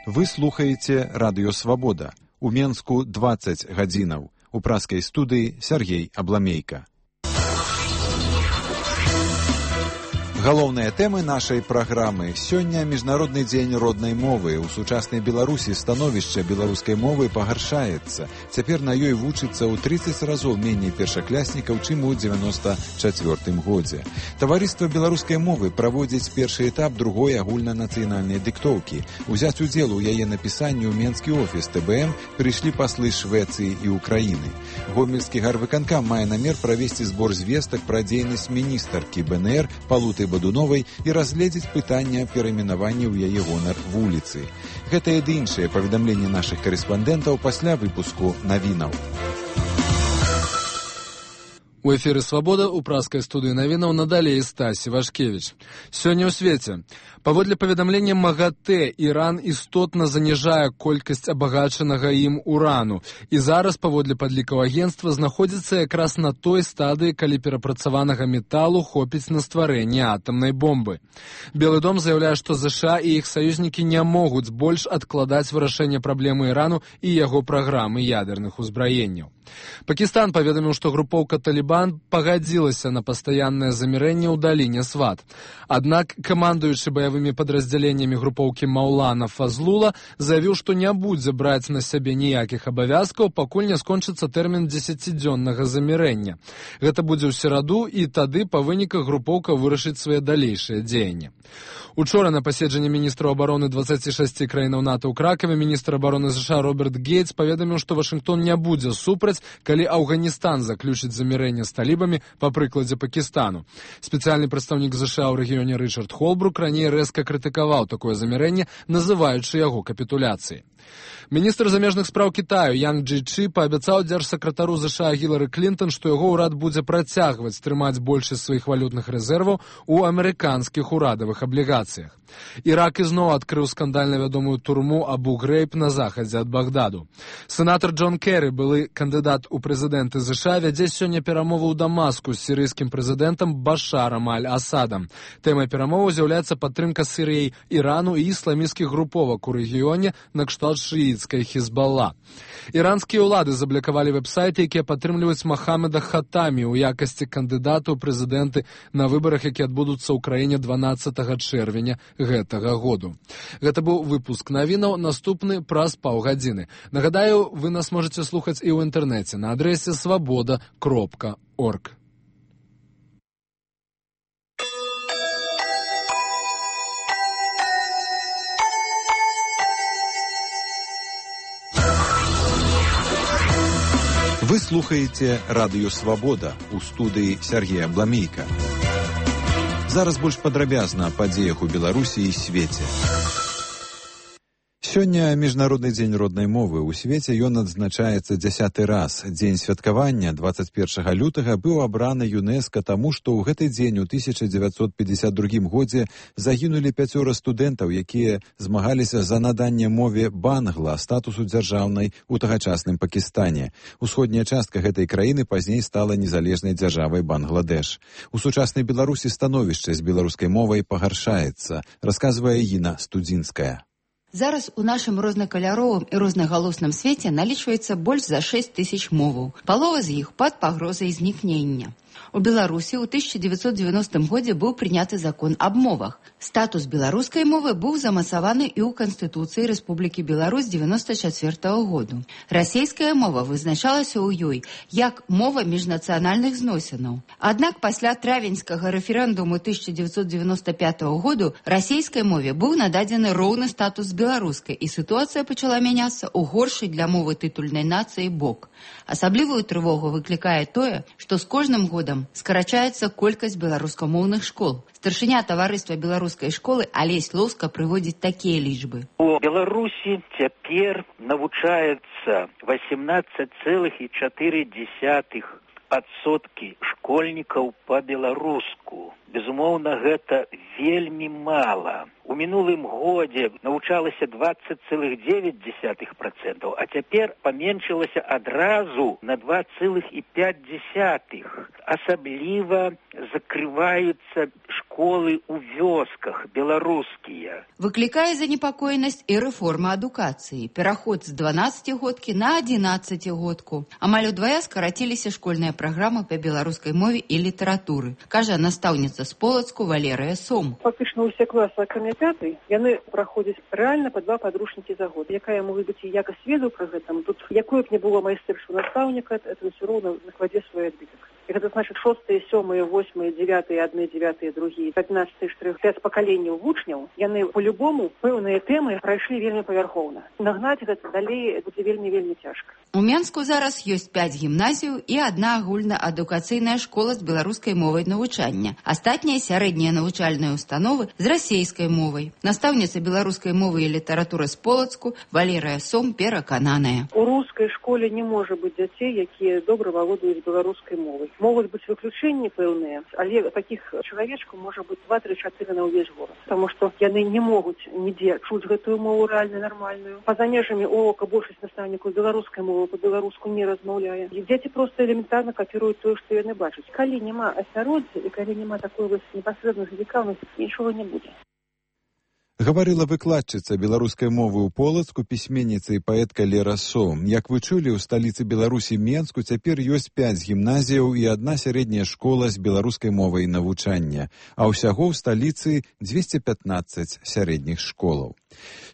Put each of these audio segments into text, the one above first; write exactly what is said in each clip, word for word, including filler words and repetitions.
Вы слухаеце Радыё Свабода. У Менску дваццаць гадзінаў. У праскай студыі Сергей Абламейка. Галоўныя тэмы нашай праграмы. Сёння міжнародны дзень роднай мовы. У сучаснай Беларусі становішча беларускай мовы пагаршаецца. Цяпер на ёй вучыцца ў трыццаць разоў меней першакляснікаў, чым у дзевяноста чацвёртым годзе. Таварыства беларускай мовы праводзіць першы этап другой агульнанацыянальнай дыктоўкі. Узяць удзел у яе напісанні ў менскі офіс тэ бэ эм прыйшлі паслы Швецыі і Украіны. Гомельскі гарвыканкам мае намер правесці збор звестак пра дзейнасць міністаркі бэ эн эр Палуты Бадуновай і разгледзець пытання перайменавання ў яе гонар вуліцы. Гэтае ды іншыя паведамленні нашых карэспандэнтаў пасля выпуску навінаў. У эфіры «Свабода» у праскай студыі навінаў надалей Стасі Вашкевіч. Сёння ў свеце. Паводле паведамлення МАГАТЭ, Іран істотна заніжае колькасць абагачанага ім урану. І зараз, паводле падлікаў агенцтва, знаходзіцца якраз на той стадыі, калі перапрацаванага металу хопіць на стварэнне атамнай бомбы. Белы дом заяўляе, што ЗША і іх саюзнікі не могуць больш адкладаць вырашэнне праблемы Ірану і яго праграмы ядерных узбраенняў. Пакістан паведаміў, што групоўка «Талібан» пагадзілася на пастаяннае замірэнне ў даліне Сват. Аднак камандуючы баявымі падраздзяленнямі групоўкі Маўлана Фазлула заявіў, што не будзе браць на сябе ніякіх абавязкаў, пакуль не скончыцца тэрмін дзесяцідзённага замірэння. Гэта будзе ў сераду, і тады па выніках групоўка вырашыць свае далейшыя дзеянні. Учора на паседжанні міністраў абароны дваццаці шасці краінаў НАТО ў Кракаве міністр абароны ЗША Роберт Гейтс паведаміў, што Вашынгтон не будзе супраць, калі Афганістан заключыць замірэнне з талібамі па прыкладзе Пакістану. Спецыяльны прадстаўнік ЗША ў рэгіёне Рычард Холбрук раней рэзка крытыкаваў такое замірэнне, называючы яго капітуляцыяй. Міністр замежных спраў Кітаю Янг Джейчы паабяцаў дзяржсакратару ЗША Гілары Клінтон, што яго ўрад будзе працягваць трымаць большасць сваіх валютных рэзерваў у амерыканскіх урадавых аблігацыях. Ірак ізноў адкрыў скандальна вядомую турму Абу-Грейб на захадзе ад Багдаду. Сенатар Джон Керрі, былы кандыдат у прэзідэнты ЗША, вядзе сёння перамовы ў Дамаску з сірыйскім прэзідэнтам Башарам аль-Асадам. Тэмай перамоваў з'яўляецца падтрымка Сірыяй, Ірану і ісламісцкіх груповак у рэгіёне накшталт шыіцкай Хізбалла. Іранскія ўлады заблакавалі вэб-сайты, якія падтрымліваюць Махамеда Хатамі ў якасці кандыдата ў прэзідэнты на выбарах, якія адбудуцца ў краіне дванаццатага чэрвеня гэтага году. Гэта быў выпуск навінаў, наступны праз паўгадзіны. Нагадаю, вы нас можете слухаць і ў інтэрнэце на адрэсе свабода кропка орг. Вы слухаеце Радыё Свабода у студыі Сергея Абламейка. Зараз больш падрабязна аб падзеях у Беларусі і свеце. Сёння міжнародны дзень роднай мовы. У свеце ён адзначаецца дзясяты раз. Дзень святкавання дваццаць першага лютага быў абраны ЮНЕСКО таму, што ў гэты дзень у тысяча дзевяцьсот пятьдесят другім годзе загінулі пяцёра студэнтаў, якія змагаліся за наданне мове бангла статусу дзяржаўнай у тагачасным Пакістане. Усходняя частка гэтай краіны пазней стала незалежнай дзяржавай Бангладеш. У сучаснай Беларусі становішча з беларускай мовай пагаршаецца, расказвае Іна Студзінская. Зараз у нашым рознакаляровым і рознагалосным свеце налічваецца больш за шэсць тысяч моваў. Палова з іх пад пагрозай знікнення. У Беларусі ў тысяча дзевяцьсот дзевяностым годзе быў прыняты закон аб мовах. Статус беларускай мовы быў замацаваны і ў Канстытуцыі Рэспублікі Беларусь дзевяноста чацвёртага году. Расейская мова вызначалася ў ёй як мова міжнацыянальных зносінаў. Аднак пасля травеньскага рэферэндуму тысяча дзевяцьсот дзевяноста пятага году расейскай мове быў нададзены роўны статус беларускай, і сітуацыя пачала мяняцца ў горшы для мовы тытульнай нацыі бок. Асаблівую трывогу выклікае тое, што з кожным годам скарачаецца колькасць беларускамоўных школ. Старшыня таварыства беларускай школы Алесь Лоўска прыводзіць такія лічбы. У Беларусі цяпер навучаецца восемнадцать целых четыре десятых адсоткі школьнікаў па-беларуску. Безумоўна, гэта вельмі мала. У мінулым годзе навучалася двадцать целых девять десятых процента, а цяпер паменшылася адразу на два целых пять десятых. Асабліва закрываюцца школы школы ў вёсках беларускія. Выклікае занепакоенасць і рэформа адукацыі. Пераход з дванаццацігодкі на адзінаццацігодку. Амаль удвая скараціліся школьная праграма па беларускай мове і літаратуры, кажа настаўніца з Полацку Валерыя Сом. Фактычна ўсе класы, акрамя пятай, яны праходзяць рэальна па два падручнікі за год. Якая можа быць і якасць ведаў пра гэта, тут якое б не было майстэрства настаўніка, это ўсё роўна накладзе свой адбітак. И это значит шостые, сёмые, восьмые, девятые, одни, девятые, другие, пятнадцатые, штрых, пять поколений вучняў, яны по-любому пэўныя тэмы прайшлі вельмі павярхоўна. Нагнаць гэта далей будзе вельмі-вельмі цяжка. У Менску зараз ёсць пяць гімназіяў і адна агульнаадукацыйная школа з беларускай мовай навучання. Астатнія сярэднія навучальныя установы з расейскай мовай. Настаўніца беларускай мовы і літаратуры з Полацку Валерыя Сом перакананая. У рускай школе не можа быць дзяцей, якія добра валодаюць беларускай мовай. Могуць быць выключэнні пэўныя, але такіх чалавечкаў можа быць два-тры-чатыры на ўвесь горад. Таму што яны не могуць нідзе чуць гэтую мову рэальна нармальную. Па-за межамі урока большасць настаўнікаў беларускай мовы па-беларуску не размаўляе. І дзеці проста элементарна капіруюць тое, што яны бачаць. Калі няма асяроддзя і калі няма такой вось непасрэднай зацікаўнасці, нічога не будзе. Гаварыла выкладчыца беларускай мовы ў Полацку, пісьменніца і паэтка Лера Сом. Як вы чулі, у сталіцы Беларусі Менску цяпер ёсць пяць гімназіяў і адна сярэдняя школа з беларускай мовай навучання, а ўсяго ў сталіцы дзвесце пятнаццаць сярэдніх школаў.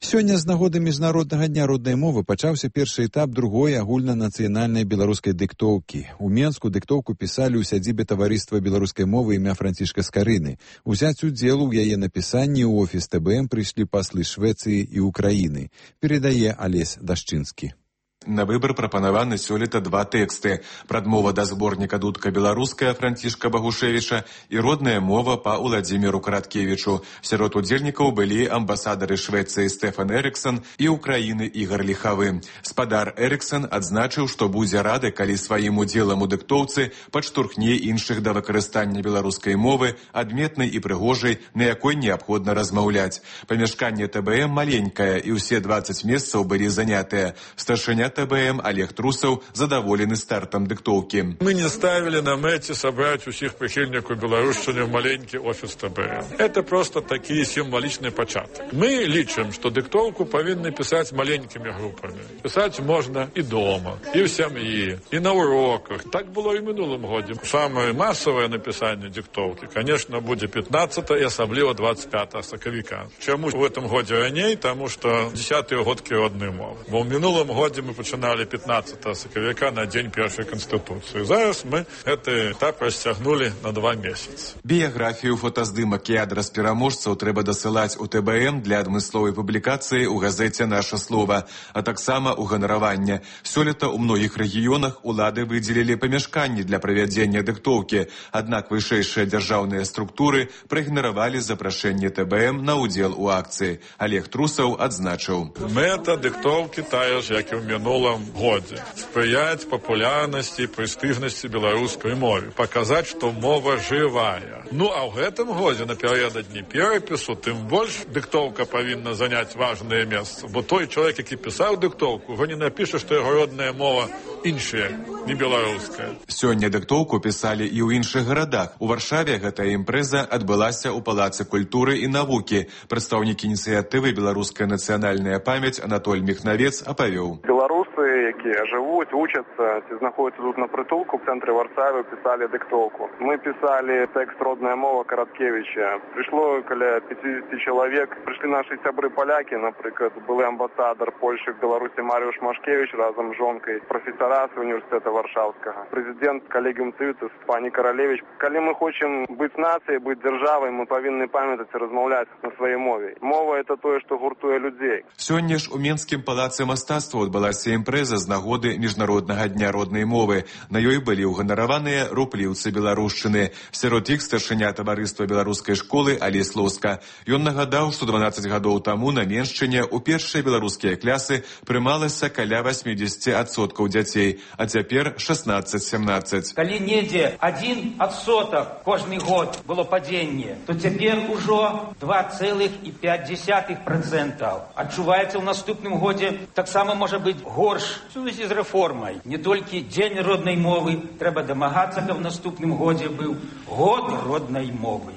Сёння з нагоды Міжнароднага дня роднай мовы пачаўся першы этап другой агульнанацыянальнай беларускай дыктоўкі. У Менску дыктоўку пісалі ў сядзібе таварыства беларускай мовы імя Францішка Скарыны. Узяць удзел у яе напісанні ў офіс Тэ Бэ Эм прыйшлі паслы Швецыі і Украіны. Перадае Алесь Дашчынскі. На выбор прапанаваны сёлета два тэксты: прадмова да зборніка «Дудка беларуская» Францішка Багушевіча і родная мова па Уладзіміру Караткевічу. Сярод удзельнікаў былі амбасадары Швецыі Стэфан Эрыксон і Украіны Ігар Ліхавы. Спадар Эрыксон адзначыў, што будзе рады, калі сваім удзелам у дыктоўцы падштурхне іншых да выкарыстання беларускай мовы, адметнай і прыгожай, на якой неабходна размаўляць. Памяшканне Тэ Бэ Эм маленькае, і ўсе дваццаць месцаў былі занятыя. Старшыня Тэ Бэ Эм Олег Трусаў задаволены стартам дыктоўкі. Мы не ставили на мэце собрать усіх прихильников беларушчыны в маленький офис Тэ Бэ Эм. Это просто такі символичный початок. Мы лічым, что дыктоўку павінны писать маленькими группами. Писать можно и дома, и в семье, и на уроках. Так было и в минулым году. Самое массовое написание диктовки, конечно, будет пятнадцатого и особливо двадцать пятого сакавіка. Чему в этом году раней? Потому что десятые годки родной мовы. Бо в минулым году мы починали пятнадцатого сакавіка на день першей конституции. Зараз мы этот этап расцягнули на два месяца. Біяграфію, фотаздымак і адрас пераможцаў трэба дасылаць у Тэ Бэ Эм для адмысловай публікацыі ў газеце «Наша слова», а таксама ў ганараванне. Сёлета ў многіх рэгіёнах улады выдзелілі памяшканні для правядзення дыктоўкі, аднак вышэйшыя дзяржаўныя структуры праігнаравалі запрашэнне Тэ Бэ Эм на ўдзел у акцыі. Олег Трусаў адзначыў: мэта дыктоўкі тая ж, як і ў минулом году. Спрыять популярности и престижности белорусской мовы. Показать, что мова живая. Ну, а в этом году, напередодні перепису, тем больше диктовка повинна занять важное место. Бо той человек, который писал диктовку, уже не напишет, что его родная мова іншая, не белорусская. Сёння дыктоўку писали и ў іншых городах. У Варшаве гэтая імпрэза адбылася ў Палацы культуры і навукі. Прадстаўнік ініцыятывы «Беларуская нацыянальная памяць» Анатоль Міхнавец апавёў. Белорусы, якія жывуць, учацца, ці знаходзяцца тут на притулку в цэнтры Варшавы, писали диктовку. Мы писали текст «Родная мова» Караткевича. Пришло каля пятьдесят человек. Пришли наши сябры поляки, например, был амбассадор Польши в Беларуси Мариуш Машкевич разом с жонкой, профессора з університету Варшавского, президент Колегиум Цивитас пані Королевич. Калі мы хочем быть нацией, быть державой, мы повинны памятать и размаўляць на своей мове. Мова — это тое, что гуртуе людей. Сёння ж у Менскім палацы мастацтва адбылася імпрэза з нагоды Міжнароднага дня роднай мовы. На ёй былі ўганараваныя рупліўцы беларушчыны. Сярод іх старшыня таварыства беларускай школы Алесь Лоска. Ён нагадаў, што дванаццаць гадоў таму на Меншчыне ў першыя беларускія клясы прымалася каля восемьдесят адсоткаў дзяцей, а цяпер шестнадцать-семнадцать. Калі недзе адзін адсотак кожны год было падзенне, то цяпер ужо два цэлых пяць дзесятых працэнта. Адчуваецца ў наступным годзе таксама можа быць горш у сувязі з рэформай. Не толькі дзень роднай мовы, трэба дамагацца, каб в наступным годзе быў год роднай мовы.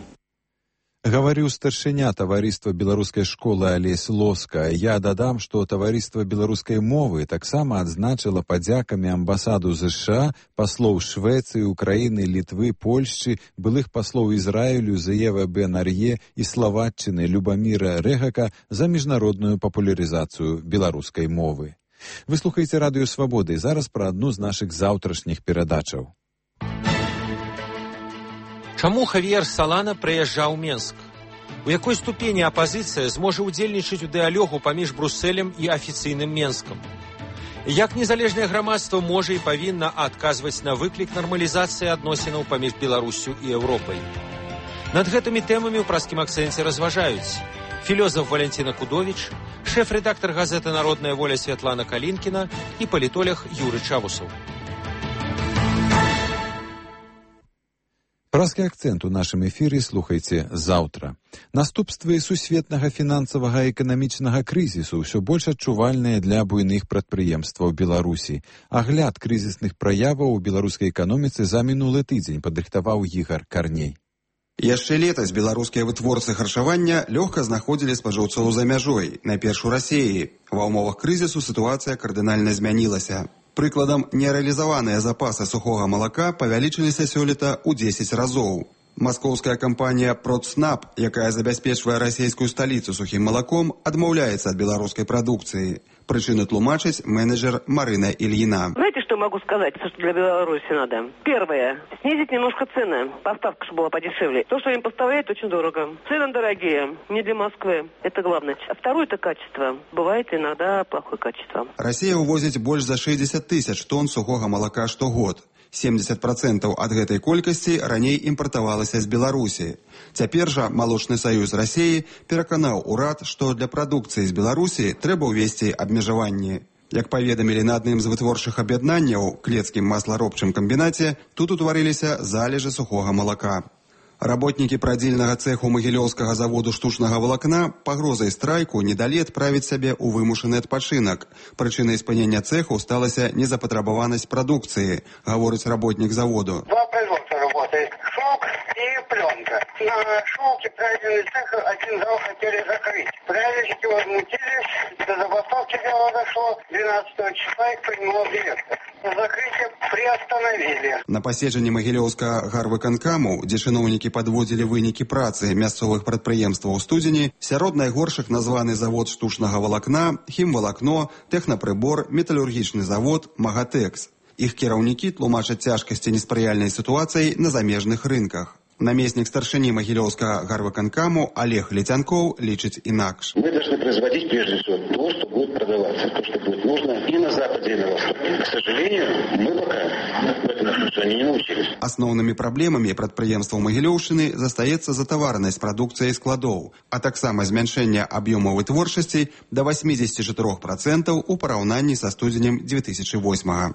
Гаварыў старшыня таварыства беларускай школы Алесь Лоска. Я дадам, што таварыства беларускай мовы таксама адзначыла падзякамі амбасаду ЗША, паслоў Швецыі, Украіны, Літвы, Польшчы, былых паслоў Ізраілю Зеева Бен-Ар'е і Славатчыны Любаміра Рэгака за міжнародную папулярызацыю беларускай мовы. Вы слухаеце Радыё Свабоды і зараз пра адну з нашых заўтрашніх перадачаў. Чаму Хавіер Салана прыязджаў у Менск? У якой ступені апазіцыя зможа ўдзельнічаць у дыялогу паміж Брусэлем і афіцыйным Менскам? Як незалежнае грамадства можа і павінна адказваць на выклік нармалізацыі адносінаў паміж Беларуссю і Еўропай? Над гэтымі тэмамі ў праскім акцэнце разважаюць філёзаф Валянціна Кудовіч, шэф-рэдактар газеты «Народная воля» Святлана Калінкіна і палітолог Юры Чавусаў. Праскі акцэнт у нашым эфіры слухайце заўтра. Наступствы сусветнага фінансавага і эканамічнага крызісу ўсё больш адчувальныя для буйных прадпрыемстваў Беларусі. Агляд крызісных праяваў у беларускай эканоміцы за мінулы тыдзень падрыхтаваў Ігар Карней. Яшчэ летась беларускія вытворцы харчавання лёгка знаходзілі спажыўцоў за мяжой, найперш у Расіі. Ва ўмовах крызісу сітуацыя кардынальна змянілася. Прыкладам, нерэалізаваныя запасы сухога малака павялічыліся сёлета ў дзесяць разоў. Маскоўская кампанія «Продснаб», якая забяспечвае расійскую сталіцу сухім малаком, адмаўляецца ад беларускай прадукцыі. Причины тлумачить менеджер Марина Ильина. Знаете, что могу сказать, что для Беларуси надо? Первое. Снизить немножко цены. Поставка, чтобы была подешевле. То, что им поставляют, очень дорого. Цены дорогие. Не для Москвы. Это главное. А второе – это качество. Бывает иногда плохое качество. Россия увозит больше за шестьдесят тысяч тонн сухого молока штогод. семьдесят процентов ад гэтай колькасці раней імпартавалася з Беларусі. Цяпер жа Малочны саюз Расіі пераканаў урад, што для прадукцыі з Беларусі трэба ўвесці абмежаванні. Як паведамілі на адным з вытворчых аб'яднанняў, клецкім масларобчым камбінаце, тут утварыліся залежы сухога малака. Работнікі прадзільнага цэху магілёўскага заводу штучнага валакна пагрозай страйку не далі адправіць сябе ў вымушаны адпачынак. Прычынай спынення цэху сталася незапатрабаванасць прадукцыі, гаворыць работнік заводу. Два производства работает. Шелк и пленка. На шелке правильный цех один зал хотели закрыть. Правильники возмутились, до забастовки дело дошло. двенадцатого числа их принимал директор. Закрытие приостановили. На паседжанні магілёўскага гарвыканкаму, дзе чыноўнікі падводзілі вынікі працы мясцовых прадпрыемстваў у студзені, сярод найгоршых названы завод штучнага валакна, хімвалакно, тэхнапрыбор, металургічны завод, Магатэкс. Іх кіраўнікі тлумачаць цяжкасці неспрыяльнай сітуацыі на замежных рынках. Намеснік старшыні магілёўскага гарвыканкаму Олег Летянков лічыць інакш. Мы должны производить прежде всего то, что будет продаваться, то, что будет нужно и на Западе, и на Востоке. К сожалению, мы пока в этом отношении не научились. Асноўнымі праблемамі прадпрыемстваў Магілёўшчыны застаецца затаваранасць прадукцыі складоў, а таксама змяншэнне аб'ёму вытворчасці да восемьдесят четыре процента у параўнанні са студзенем две тысячи восьмого.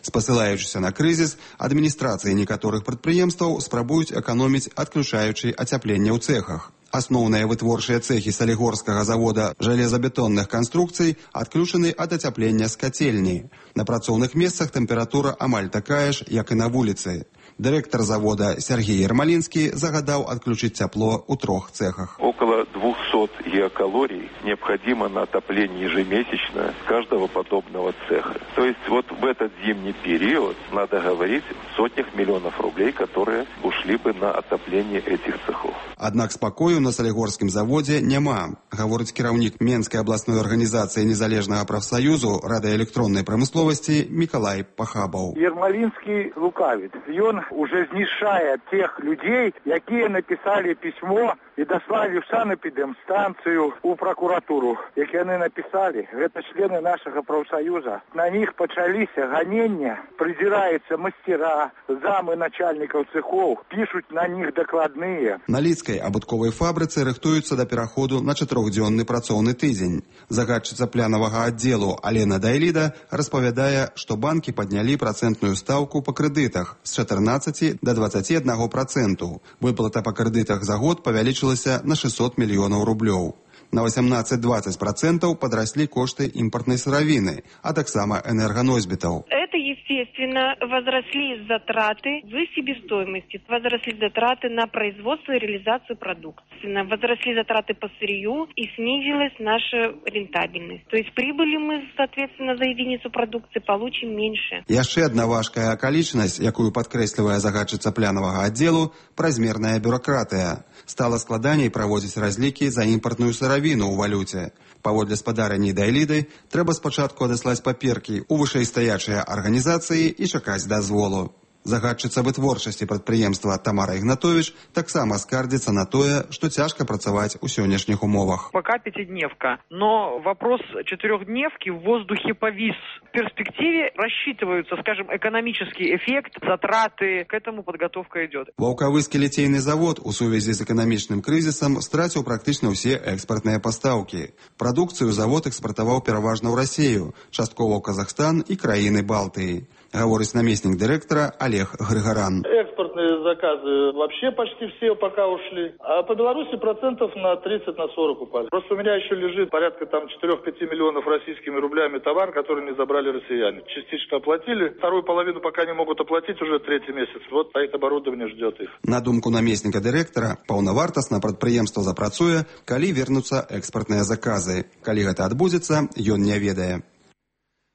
Спасылаючыся на крызіс, адміністрацыі некаторых прадпрыемстваў спрабуюць эканоміць, адключаючы ацяпленне ў цэхах. Асноўныя вытворчыя цэхі салігорскага завода жалезабетонных канструкцый адключаны ад ацяплення з кацельні. На працоўных месцах тэмпература амаль такая ж, як і на вуліцы. Дырэктар завода Сергей Ермолинский загадаў адключыць цяпло ў трох цэхах. Около двухсот геокалорий необходимо на отопление ежемесячно каждого подобного цеха. То есть вот в этот зимний период надо говорить о сотнях миллионов рублей, которые ушли бы на отопление этих цехов. Аднак спакою на салігорскім заводзе няма, гаворыць кіраўнік Менскай абласной арганізацыі незалежнага прафсаюзу радыёэлектроннай прамысловасці Мікалай Пахабаў. Ермолинский лукавит. Ён уже знішае тех людей, якія написали письмо и дослали в санэпідэмстанцыю, у прокуратуру. Як яны написали, это члены нашего профсоюза. На них пачаліся ганення, придираются мастера, замы начальников цехов, пишут на них докладные. На Лідскай абутковай фабрыцы рыхтуюцца да пераходу на чатырохдзённы працоўны тыдзень. Загадчыца плянавага аддзелу Алена Дайліда распавядае, што банкі паднялі працэнтную стаўку па крэдытах з чатырнаццаці да дваццаці аднаго проценту. Выплата па крэдытах за год павялічылася на шестьсот мільёнаў рублёў. На восемнадцать-двадцать процентов подросли кошты импортной сыровины, а таксама энергоносьбитов. Это, естественно, Естественно, возросли затраты в себестоимости, возросли затраты на производство и реализацию продукции, возросли затраты по сырью и снизилась наша рентабельность. То есть прибыли мы, соответственно, за единицу продукции получим меньше. Яшчэ одна важкая акалічнасць, якую падкрэслівае загадчыца плянавага аддзелу, празмерная бюракратыя. Стала складаней праводзіць разлікі за імпартную сыравіну ў валюце. Паводле спадарні Дайліды, трэба спачатку адаслаць паперкі ў вышэйстаячыя арганізацыі і чакаць дазволу. Загадчыца вытворчасці прадпрыемства Тамара Ігнатовіч таксама скардзіцца на тое, што цяжка працаваць у сённяшніх умовах. Пока пятидневка, но вопрос четырехдневки в воздухе повис. В перспективе рассчитываются, скажем, экономический эффект, затраты, к этому подготовка идет. Ваўкавыскі ліцейны завод у сувязі з эканамічным крызісам страціў практычна ўсе экспартныя пастаўкі. Прадукцыю завод экспартаваў пераважна ў Расію, часткова ў Казахстан і краіны Балтыі. Говорит наместник директора Олег Григоран. Экспортные заказы вообще почти все пока ушли. А по Беларуси процентов на тридцать на сорок упали. Просто у меня еще лежит порядка там четыре-пять миллионов российскими рублями товар, который не забрали россияне. Частично оплатили. Вторую половину пока не могут оплатить уже третий месяц. Вот а это оборудование ждет их. На думку наместника директора, паўнавартасна прадпрыемства запрацуе, калі вернуцца экспартныя заказы. Калі гэта адбудзецца, ён не ведае.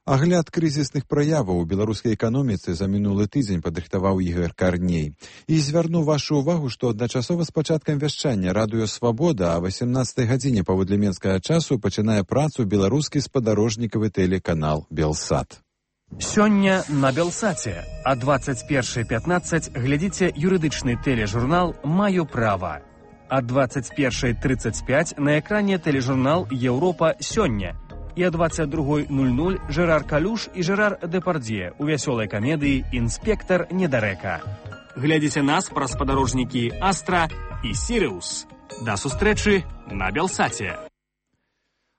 Агляд крызісных праяваў у беларускай эканоміцы за мінулы тыдзень падрыхтаваў Ігор Карней. І звярну вашу ўвагу, што адначасова з пачаткам вяшчання радыё «Свабода» а васемнаццатай гадзіне паводле менскага часу пачынае працу беларускі спадарожнікавы тэлеканал «Белсат». Сёння на Белсаце а двадцать першая пятнадцать глядзіце юрыдычны тэлежурнал «Маю права». А двадцать першая тридцать пять на экране тэлежурнал «Еўропа сёння». І о двадцать другой ноль ноль Жерар Калюш і Жерар Депардье у вясёлай камедыі «Інспектар недарэка». Глядзіце нас праз спадарожнікі «Астра» і «Сіриус». Да сустрэчы на Белсаце.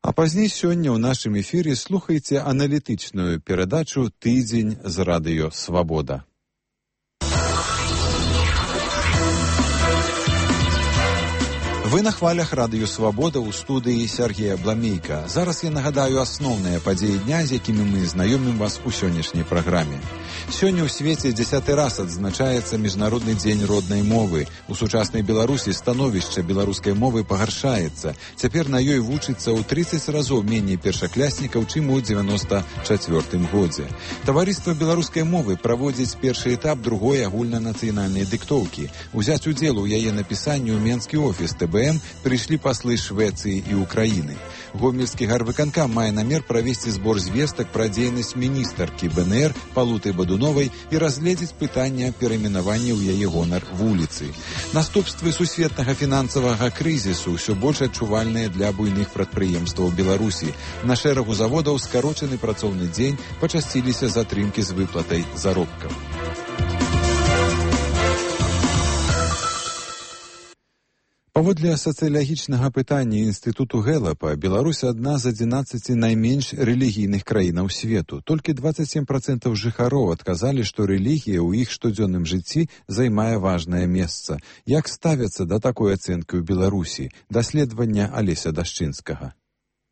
А пазней сёння ў нашым эфіры слухайце аналітычную перадачу «Тыдзень з радыё «Свабода». Вы на хвалях радыё «Свабода» ў студыі Сергея Бламейка. Зараз я нагадаю асноўныя падзеі дня, з якімі мы знаёмім вас у сённяшняй праграме. Сёння ў свеце дзясяты раз адзначаецца Міжнародны дзень роднай мовы. У сучаснай Беларусі становішча беларускай мовы пагаршаецца. Цяпер на ёй вучыцца ў тридцать разоў меней першакляснікаў, чым у девяносто чацвёртым годзе. Таварыства беларускай мовы праводзіць першы этап другой агульнанацыянальнай дыктоўкі. Узяць удзел у яе напісанні ў менскі офіс тэ бэ эм прыйшлі паслы Швецыі і Украіны. Гомельскі гарвыканкам мае намер правесці збор звестак пра дзейнасць міністаркі бэ эн эр Палуты Бадуновай і разгледзець пытанне перайменавання ў яе гонар вуліцы. Наступствы сусветнага фінансавага крызісу ўсё больш адчувальныя для буйных прадпрыемстваў Беларусі. На шэрагу заводаў скарочаны працоўны дзень, пачасціліся затрымкі з выплатай заробкаў. Паводле сацыялагічнага пытання Інстытуту Гэлапа, Беларусь адна з адзінаццаці найменш рэлігійных краінаў свету. Толькі двадцать семь процентов жыхароў адказалі, што рэлігія ў іх штодзённым жыцці займае важнае месца. Як ставяцца да такой ацэнкі ў Беларусі? Даследаванне Алеся Дашчынскага.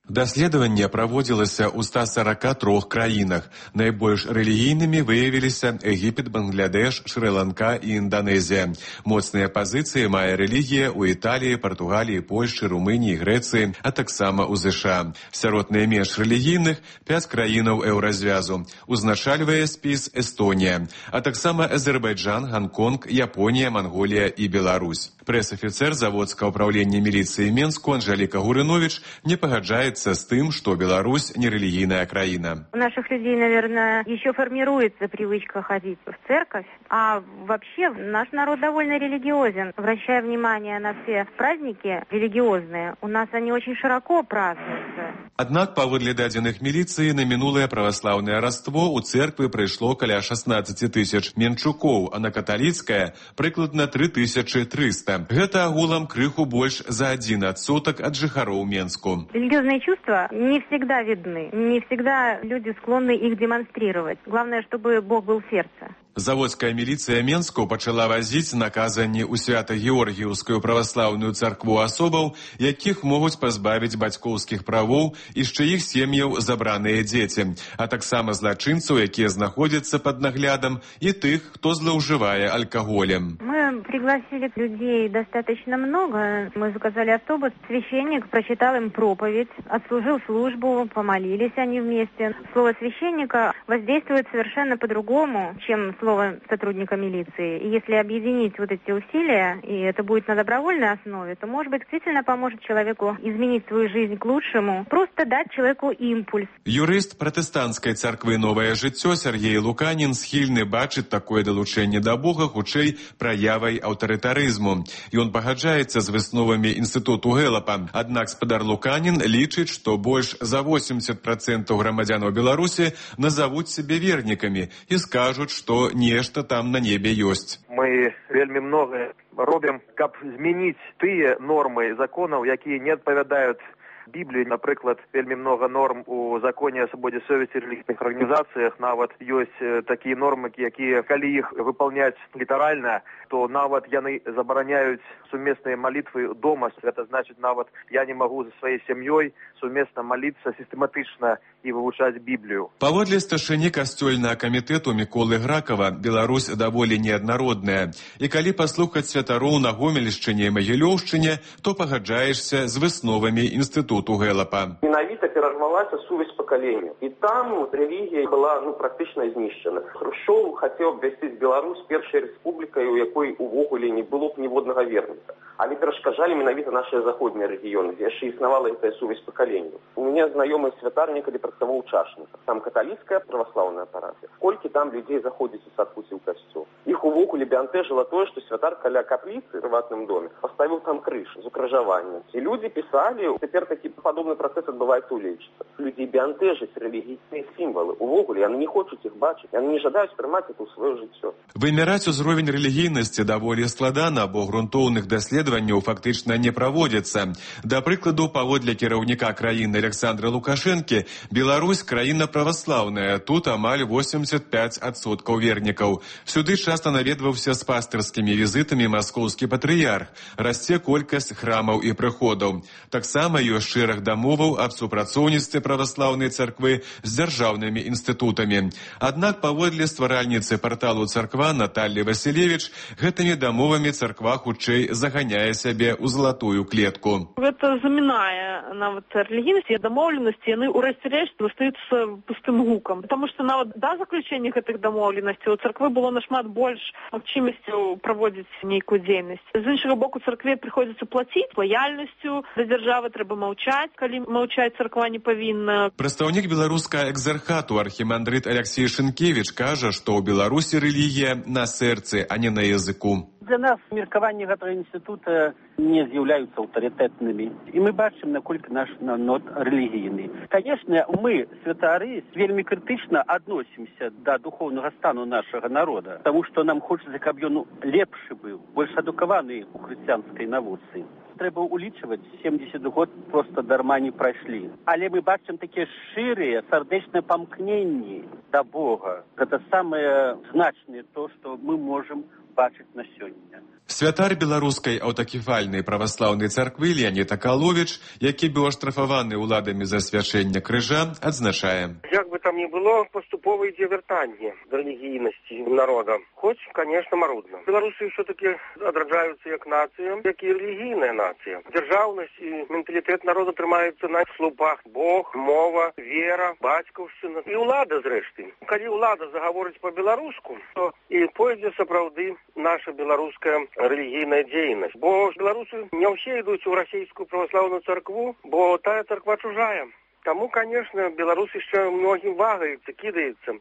Даследаванне праводзілася ў ста сорока трох краінах. Найбольш рэлігійнымі выявіліся Егіпет, Бангладеш, Шры-Ланка і Інданезія. Моцныя пазіцыі мае рэлігія ў Італіі, Партугаліі, Польшчы, Румыніі, Грэцыі, а таксама ў ЗША. Сярод найменш рэлігійных пяць краінаў еўразвязу. Узначальвае спіс Эстонія, а таксама Азербайджан, Гонконг, Японія, Манголія і Беларусь. Прэс-афіцэр заводскага ўправлення міліцыі Менску Анжеліка Гурыновіч не пагаджаецца с тем, что Беларусь не религийная краина. У наших людей, наверное, еще формируется привычка ходить в церковь, а вообще наш народ довольно религиозен. Обращая внимание на все праздники религиозные, у нас они очень широко празднуются. Аднак, паводле дадзеных міліцыі, на мінулае праваслаўнае раство у церквы прыйшло каля шестнадцать тысяч менчукоў, а на каталіцкае прыкладна три тысячи триста. Гэта агулам крыху больш за один адсотак ад жыхароў Менску. Религиозные чувства не всегда видны, не всегда люди склонны их демонстрировать. Главное, чтобы Бог был в сердце. Заводская міліцыя Менску пачала вазіць на казанні ў Свята-Георгіўскую праваслаўную царкву асобаў, якіх могуць пазбавіць бацькоўскіх правоў і з чыіх сем'яў забраныя дзеці, а таксама злачынцаў, якія знаходзяцца пад наглядам, і тых, хто злоўжывае алкаголем. Мы пригласили людей достаточно много. Мы заказали автобус. Священник прочитал им проповедь, отслужил службу, помолились они вместе. Слово священника воздействует совершенно по-другому, чем слово сотрудника милиции. И если объединить вот эти усилия, и это будет на добровольной основе, то, может быть, действительно поможет человеку изменить свою жизнь к лучшему, просто дать человеку импульс. Юрыст пратэстанцкай царквы «Новае жыццё» Сергей Луканін схільны бачыць такое далучэнне да Бога хутчэй праявай аўтарытарызму. Ён пагаджаецца з высновамі інстытуту Гэлапа. Аднак спадар Луканін лічыць, што больш за восемьдесят процентов грамадзянаў Беларусі назавуць сябе вернікамі і скажуць, што нешта там на небе ёсць. Мы вельмі многае робім, каб змяніць тыя нормы законаў, якія не адпавядаюць Бібліі. Напрыклад, вельмі много норм у законе о свободе совести релігійных арганізацыях. Нават ёсць такія нормы, якія, калі іх выполняць літаральна, то нават яны забараняюць сумесныя малітвы дома. Это значит, нават я не могу за сваёй сям'ёй сумесна маліцца сістэматычна і вывучаць Біблію. Паводле старшыні касцёльнага камітэту Міколы Гракава, Беларусь даволі неаднародная. І калі паслухаць святароў на Гомельшчыне і Магілёўшчыне, то пагаджаешся з высновамі інстытуту Гэлапа. Менавіта перарвалася сувязь пакаленняў. І там рэлігія была ну, практычна знішчана. Хрушчоў хацеў абвясціць Беларусь першай рэспублікай, у якой увогуле не было б ніводнага верніка. Але перашкаджалі менавіта нашыя заходнія рэгіёны, дзе яшчэ існавала гэтая сувязь пакаленняў. У мяне знаёмы святар некалі працаваў у Чашніках. Там каталіцкая праваслаўная парафія. Колькі там людзей заходзіць у царкву ці ў касцёл. Іх увогуле бянтэжыла тое, што святар каля капліцы ў прыватным доме паставіў там крыж з укрыжаваннем. І людзі пісалі, цяпер такі падобны працэс адбываецца ў Лечыцы. Людзей бянтэжаць рэлігійныя сімвалы. Увогуле яны не хочуць іх бачыць, яны не жадаюць прымаць это ў сваё жыццё. Вымяраць узровень рэлігійнасці даволі складана, бо грунтоўных даследаванняў фактычна не праводзіцца. Да прыкладу, паводле кіраўніка краіны Александра Лукашэнкі, Беларусь краіна праваслаўная, тут амаль восемьдесят пять адсоткаў вернікаў. Сюды часта наведваўся з пастырскімі візітамі маскоўскі патрыярх. Расце колькасць храмаў і прыходаў. Таксама ёсць шэраг дамоваў аб супрацоўніцтве праваслаўнай царквы з дзяржаўнымі інстытутамі. Аднак, паводле стваральніцы парталу «Царква» Натальі Васілевіч, гэтымі дамовамі царква хутчэй заганяе сябе ў залатую клетку. Гэта замінае нават рэлігійнасці і дамоўленасці, яны ў рэшце рэшт застаюцца пустым гукам. Таму што нават да заключэння гэтых дамоўленасцей у царквы было нашмат больш магчымасцяў праводзіць нейкую дзейнасць. З іншага боку, царкве прыходзіцца плаціць лаяльнасцю да дзяржавы, трэба маўчаць, калі маўчаць царква не павінна. Прадстаўнік беларускага экзархату архімандрыт Алексей Шынкевіч кажа, што ў Беларусі рэлігія на сэрцы, а не на языку. Для нас меркаванні гэтага інстытута не з'яўляюцца аўтарытэтнымі. І мы бачым, наколькі наш народ рэлігійны. Канешне, мы, святары, вельмі крытычна адносімся да духоўнага стану нашага народа, таму што нам хочацца, каб ён лепшы быў, больш адукаваны у хрысціянскай навуцы. Трэба улічваць, семьдесят год проста дарма не прайшлі. Але мы бачым такія шчырыя, сардэчныя памкненні да Бога. Гэта самае значнае то, што мы можам бачыць на сёння. Святар беларускай аўтакефальнай праваслаўнай царквы Леонід Акаловіч, які быў аштрафаваны ўладамі за свячэнне крыжа, адзначае. Як бы там ни было, поступово ідзе вяртанне да рэлігійнасці народа. Хоць, конечно, марудна. Беларусы все-таки адраджаюцца як нацыя, як і рэлігійная нацыя. Дзяржаўнасць і менталітэт народа трымаюцца на слупах. Бог, мова, вера, бацькаўшчына і ўлада, зрэшты. Калі ўлада загаворыць па-беларуску, то і пойдзе сапраўды наша беларуская рэлігійная дзейнасць. Бо беларусы не ўсе ідуць у расійскую праваслаўную царкву, бо тая царква чужая. Таму, конечно, беларус яшчэ многім вагаецца, кідаецца.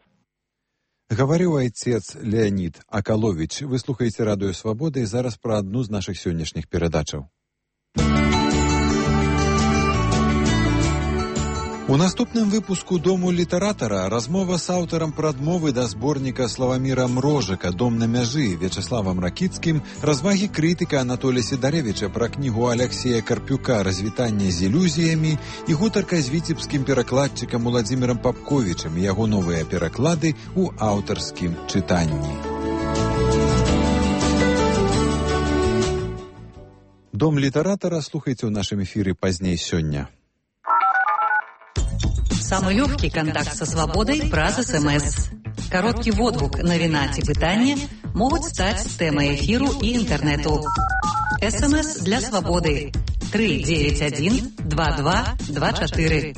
Гаварыў айцец Леонід Акаловіч. Вы слухаеце радыё «Свабода» і зараз пра адну з нашых сённяшніх перадачаў. У наступным выпуску «Дому літаратара» размова з аўтарам прадмовы да зборніка Славаміра Мрожыка «Дом на мяжы» Вячеславам Ракіцкім, развагі крытыка Анатолія Сідарэвіча пра кнігу Аляксея Карпюка «Развітанне з ілюзіямі» і гутарка з віцебскім перакладчыкам Уладзімірам Папковічам і яго новыя пераклады ў аўтарскім чытанні. «Дом літаратара» слухайце ў нашым эфіры пазней сёння. Самый легкий контакт со свободой праз СМС. Короткий водгук, навіна ці пытанне могуць стаць тэмай эфіру і інтэрнэту. СМС для свободы три девять один два два два четыре.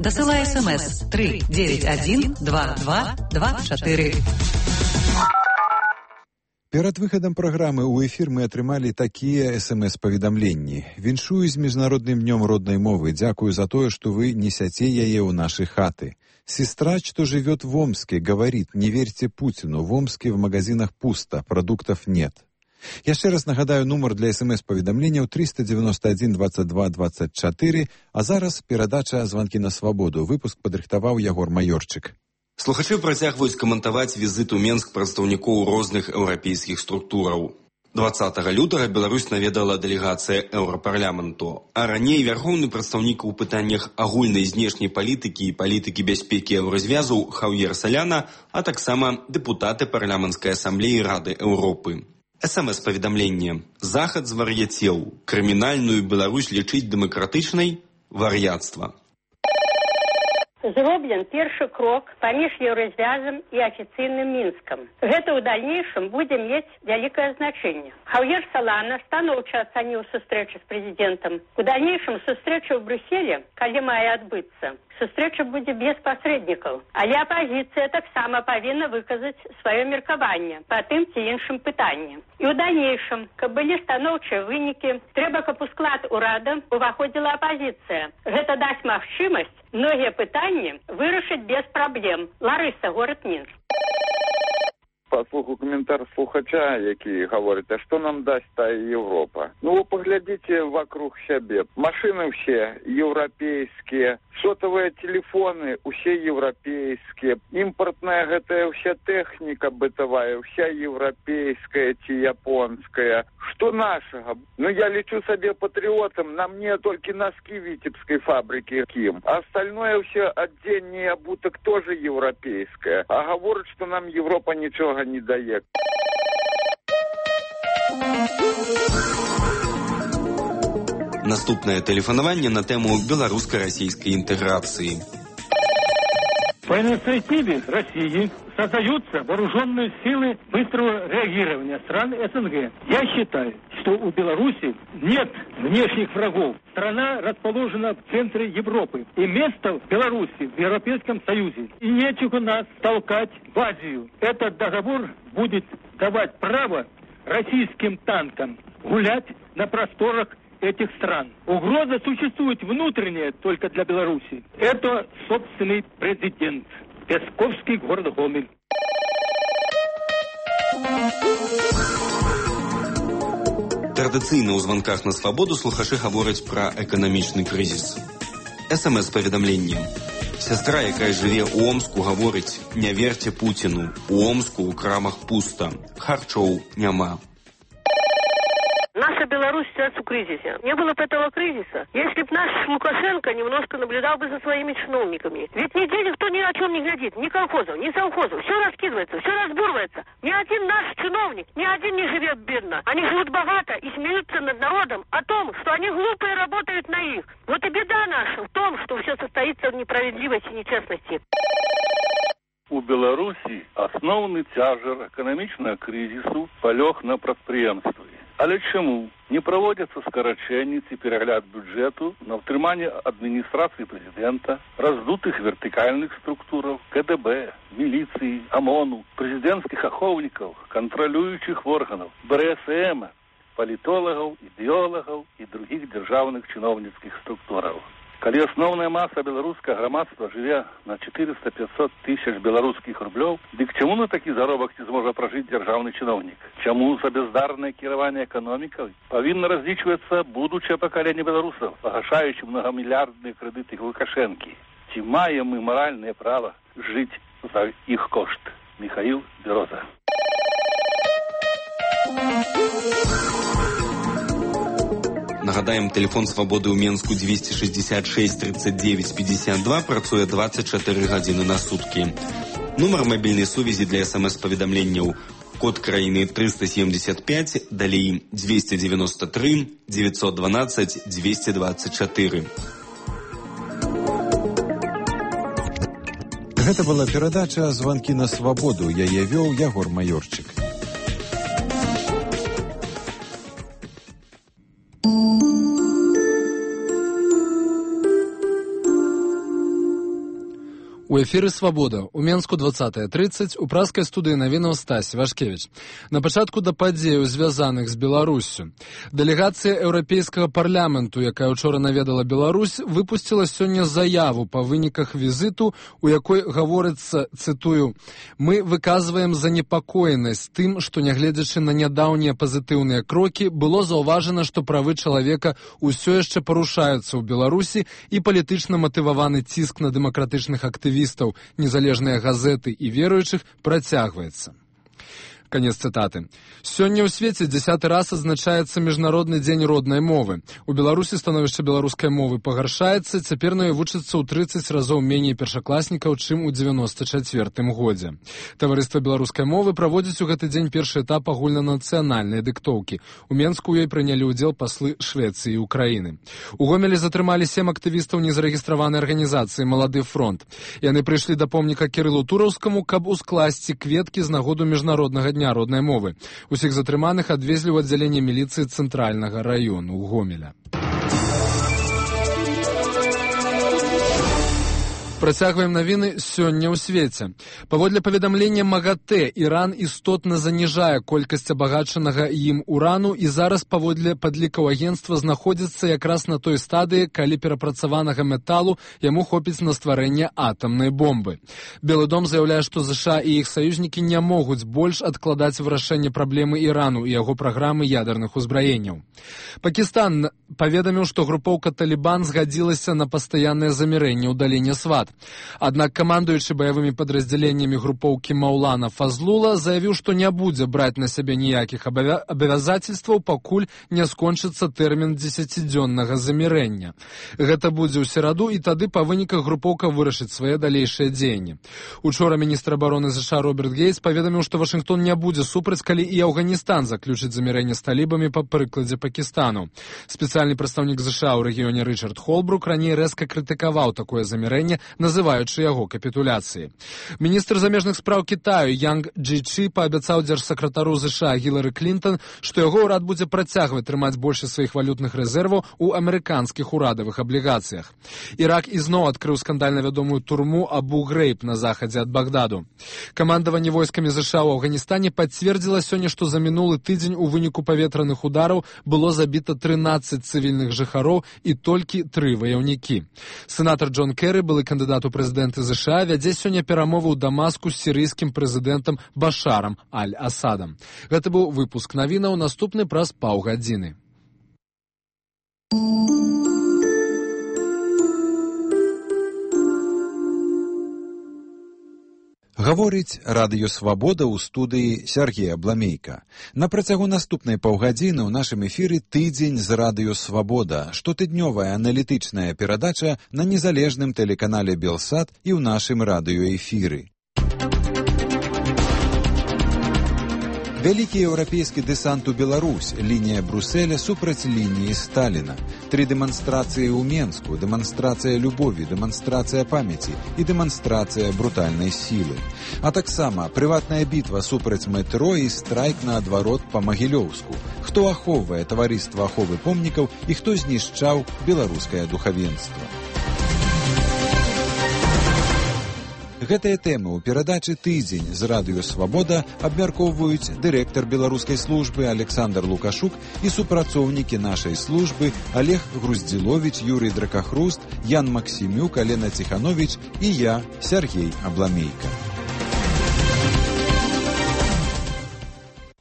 Дасылай СМС три девять один два два два четыре. Перад выхадам праграмы ў эфір мы атрымалі такія эс-эм-эс-паведамленні. Віншую з міжнародным днём роднай мовы. Дзякую за тое, што вы несяце яе ў нашы хаты. Сестра, что живет в Омске, говорит: не верьте Путину, в Омске в магазинах пусто, продуктов нет. Яшчэ раз нагадаю нумар для эс-эм-эс-паведамленняў триста девяносто один двадцать два двадцать четыре, а зараз перадача «Званкі на свабоду». Выпуск падрыхтаваў Ягор Маёрчык. Слухачы працягваюць каментаваць візіт у Менск прадстаўнікоў розных еўрапейскіх структураў. дваццатага лютага Беларусь наведала дэлегацыя Еўрапарламенту, а раней вярхоўны прадстаўнік у пытаннях агульнай знешняй палітыкі і палітыкі бяспекі еўразвязу Хаўер Саляна, а таксама дэпутаты парламенцкай асамблеі Рады Еўропы. эс-эм-эс-паведамленне. Захад звар'яцеў. Крымінальную Беларусь лічыць дэмакратычнай? Вар'яцтва. Зроблен першы крок паміж еўразвязам і афіцыйным Мінскам. Гэта ў дальнейшым будзе мець вялікае значэнне. Хаўер Салана станоўча ацаніў сустрэчу з прэзідэнтам. У дальнейшым сустрэча ў Брюсселе, калі мае адбыцца, сустрэча будзе без пасрэднікаў. Але апазіцыя таксама павінна выказаць сваё меркаванне па тым ці іншым пытанні. І ў дальнейшым, каб былі станоўчыя вынікі, трэба, каб у склад урада уваходзіла апазіцыя. Гэта дасць магчымасць многія пытанні вырашыць без праблем. Ларыса, горад Мінск. Паслухаю каментар слухача, які гаворыць: а што нам дасць тая Европа? Ну, вы паглядзіце вокруг сябе. Машины все европейские, сотовые телефоны усе европейские, импортная гэтая вся техника бытовая, вся европейская ці японская. Что нашего? Ну, я лечу себе патриотом, на мне только носки витебской фабрики Ким. А остальное все отдельный обуток тоже европейское. А говорят, что нам Европа ничего не дает. Наступное тэлефанаванне на тему белорусско-российской интеграции. По инициативе России создаются вооруженные силы быстрого реагирования стран СНГ. Я считаю, что у Беларуси нет внешних врагов. Страна расположена в центре Европы. И место Беларуси в Европейском Союзе. И нечего нас толкать в Азию. Этот договор будет давать право российским танкам гулять на просторах этих стран. Угроза существует внутренняя только для Беларуси. Это собственный президент. Песковский, город Гомель. Традыцыйна ў званках на свабоду слухачы гавораць пра эканамічны крызіс. эс-эм-эс-паведамленне. Сястра, якая жыве ў Омску, гаворыць: не верьте Путину. У Омску ў крамах пуста. Харчоў няма. Наша Беларусь сейчас в кризисе. Не было бы этого кризиса, если бы наш Лукашенко немножко наблюдал бы за своими чиновниками. Ведь нигде никто ни о чем не глядит. Ни колхозов, ни совхозов. Все раскидывается, все разбурывается. Ни один наш чиновник, ни один не живет бедно. Они живут богато и смеются над народом о том, что они глупые работают на их. Вот и беда наша в том, что все состоится в несправедливости и нечестности. У Беларусі асноўны цяжар эканамічнага крызісу палёг на прадпрыемствы. Але чаму не праводзяцца скарачэнні ці перагляд бюджэту на ўтрыманне адміністрацыі прэзідэнта, раздутых вертыкальных структураў, ка дэ бэ, міліцыі, ОМОНу, прэзідэнцкіх ахоўнікаў, кантралюючых органаў, бэ эр эс эм, палітолагаў, ідэолагаў і другіх дзяржаўных чыноўніцкіх структураў. Калі асноўная маса беларускага грамадства жыве на четыреста-пятьсот тысяч беларускіх рублёў, дык чаму на такі заробак не зможа пражыць дзяржаўны чыноўнік? Чаму за бяздарнае кіраванне эканомікай павінна разлічвацца будучае пакаленне беларусаў, пагашаючы многамільярдныя крэдыты Лукашэнкі? ці маем мы маральнае права жыць за іх кошт. Михаил Бероза. Нагадаем, телефон свабоды ў Менску двести шестьдесят шесть тридцать девять пятьдесят два працуе двадцать четыре гадзіны на суткі. Нумар мабільнай сувязі для смс-паведамленняў код краіны триста семьдесят пять, далей двести девяносто три девятьсот двенадцать двести двадцать четыре. Гэта была перадача «Званкі на свабоду». Яе вёў Ягор Маёрчык. У эфіры «Свабода». У Менску двадцатая тридцать, у праскай студыі навінаў Стась Вашкевіч. На пачатку да падзеяў, звязаных з Беларуссю. Дэлегацыя Еўрапейскага парламенту, якая учора наведала Беларусь, выпусціла сёння заяву па выніках візіту, у якой гаворыцца, цытую, «Мы выказваем занепакоенасць тым, што, нягледзячы на нядаўнія пазітыўныя крокі, было заўважана, што правы чалавека ўсё яшчэ парушаюцца ў Беларусі і палітычна матываваны ціск на дэмакратычных актывістаў, незалежныя газеты і веруючых працягваецца». Конец цитаты. Сёння ў свеце дзесяты раз адзначаецца Міжнародны дзень роднай мовы. У Беларусі становішча беларускай мовы пагаршаецца, цяпер на ёй вучыцца ў тридцать разоў меней першакласнікаў, чым у девяносто чацвёртым годзе. Таварыства беларускай мовы праводзіць у гэты дзень першы этап агульнанацыянальнай дыктоўкі. У Менску ў ёй прынялі ўдзел паслы Швецыі і Украіны. У Гомелі затрымалі сем актывістаў незарэгістраванай арганізацыі «Малады фронт». Яны прыйшлі да помніка Кірылу Тураўскаму, каб ускласці кветкі з нагоду міжнароднага дня роднай мовы. Усіх затрыманых адвезлі ў аддзяленне міліцыі цэнтральнага раёну Гомеля. Працягваем навіны сёння ў свеце. Паводле паведамлення МАГАТЭ, Іран істотна заніжае колькасць абагачанага ім урану і зараз паводле падлікаў агенцтва знаходзіцца якраз на той стадыі, калі перапрацаванага металу яму хопіць на стварэнне атамнай бомбы. Белы дом заяўляе, што ЗША і іх саюзнікі не могуць больш адкладаць вырашэнне праблемы Ірану і яго праграмы ядерных узбраенняў. Пакістан паведаміў, што групоўка «Талібан» згадзілася на пастаяннае замірэнне ў даліне Сват. Аднак камандуючы баявымі падраздзяленнямі групоўкі Маулана Фазлула заявіў, што не будзе браць на сябе ніякіх абавязацельстваў, пакуль не скончыцца тэрмін дзесяцідзённага замірэння. Гэта будзе ў сераду, і тады па выніках групоўка вырашыць свае далейшыя дзеянні. Учора міністр абароны ЗША Роберт Гейтс паведаміў, што Вашынгтон не будзе супраць, калі і Афганістан заключыць замірэнне з талібамі па прыкладзе Пакістану. Спецыяльны прадстаўнік ЗША ў рэгіёне Рычард Холбрук раней рэзка крытыкаваў такое замірэнне, называючы яго капітуляцыяй. Міністр замежных спраў Кітаю Янг Джичи паабяцаў дзяржсакратару ЗША Гілары Клінтон, што яго ўрад будзе працягваць трымаць больш сваіх валютных рэзерваў у амерыканскіх урадавых аблігацыях. Ірак ізноў адкрыў скандальна вядомую турму Абу-Грейб на захадзе ад Багдаду. Камандаванне войскамі ЗША ў Афганістане пацвердзіла сёння, што за мінулы тыдзень у выніку паветраных удараў было забіта трынаццаць цывільных жыхароў і толькі тры ваяўнікі. Сенатар Джон Керры, былы кандыдат у прэзідэнты ЗША, вядзе сёння перамовы ў Дамаску з сірыйскім прэзідэнтам Башарам Аль-Асадам. Гэта быў выпуск навінаў, наступны праз паўгадзіны. Гаворыць радыё «Свабода» ў студыі Сергея Бламейка. На працягу наступнай паўгадзіны ў нашым эфіры «Тыдзень з радыё «Свабода», штотыднёвая аналітычная перадача на незалежным тэлеканале «Белсат» і ў нашым радыёэфіры. Вялікі еўрапейскі дэсант у Беларусь, лінія Брюсселя супраць лініі Сталіна. Тры дэманстрацыі ў Менску, дэманстрацыя любові, дэманстрацыя памяці і дэманстрацыя брутальнай сілы. А таксама прыватная бітва супраць метро і страйк наадварот па Магілёўску. Хто ахоўвае таварыства аховы помнікаў і хто знішчаў беларускае духавенства. Гэтыя тэмы ў перадачы «Тыдзень з радыё «Свабода» абмяркоўваюць дырэктар беларускай службы Александр Лукашук і супрацоўнікі нашай службы Олег Груздзіловіч, Юрый Дракахруст, Ян Максімюк, Алена Ціхановіч і я, Сергей Абламейка.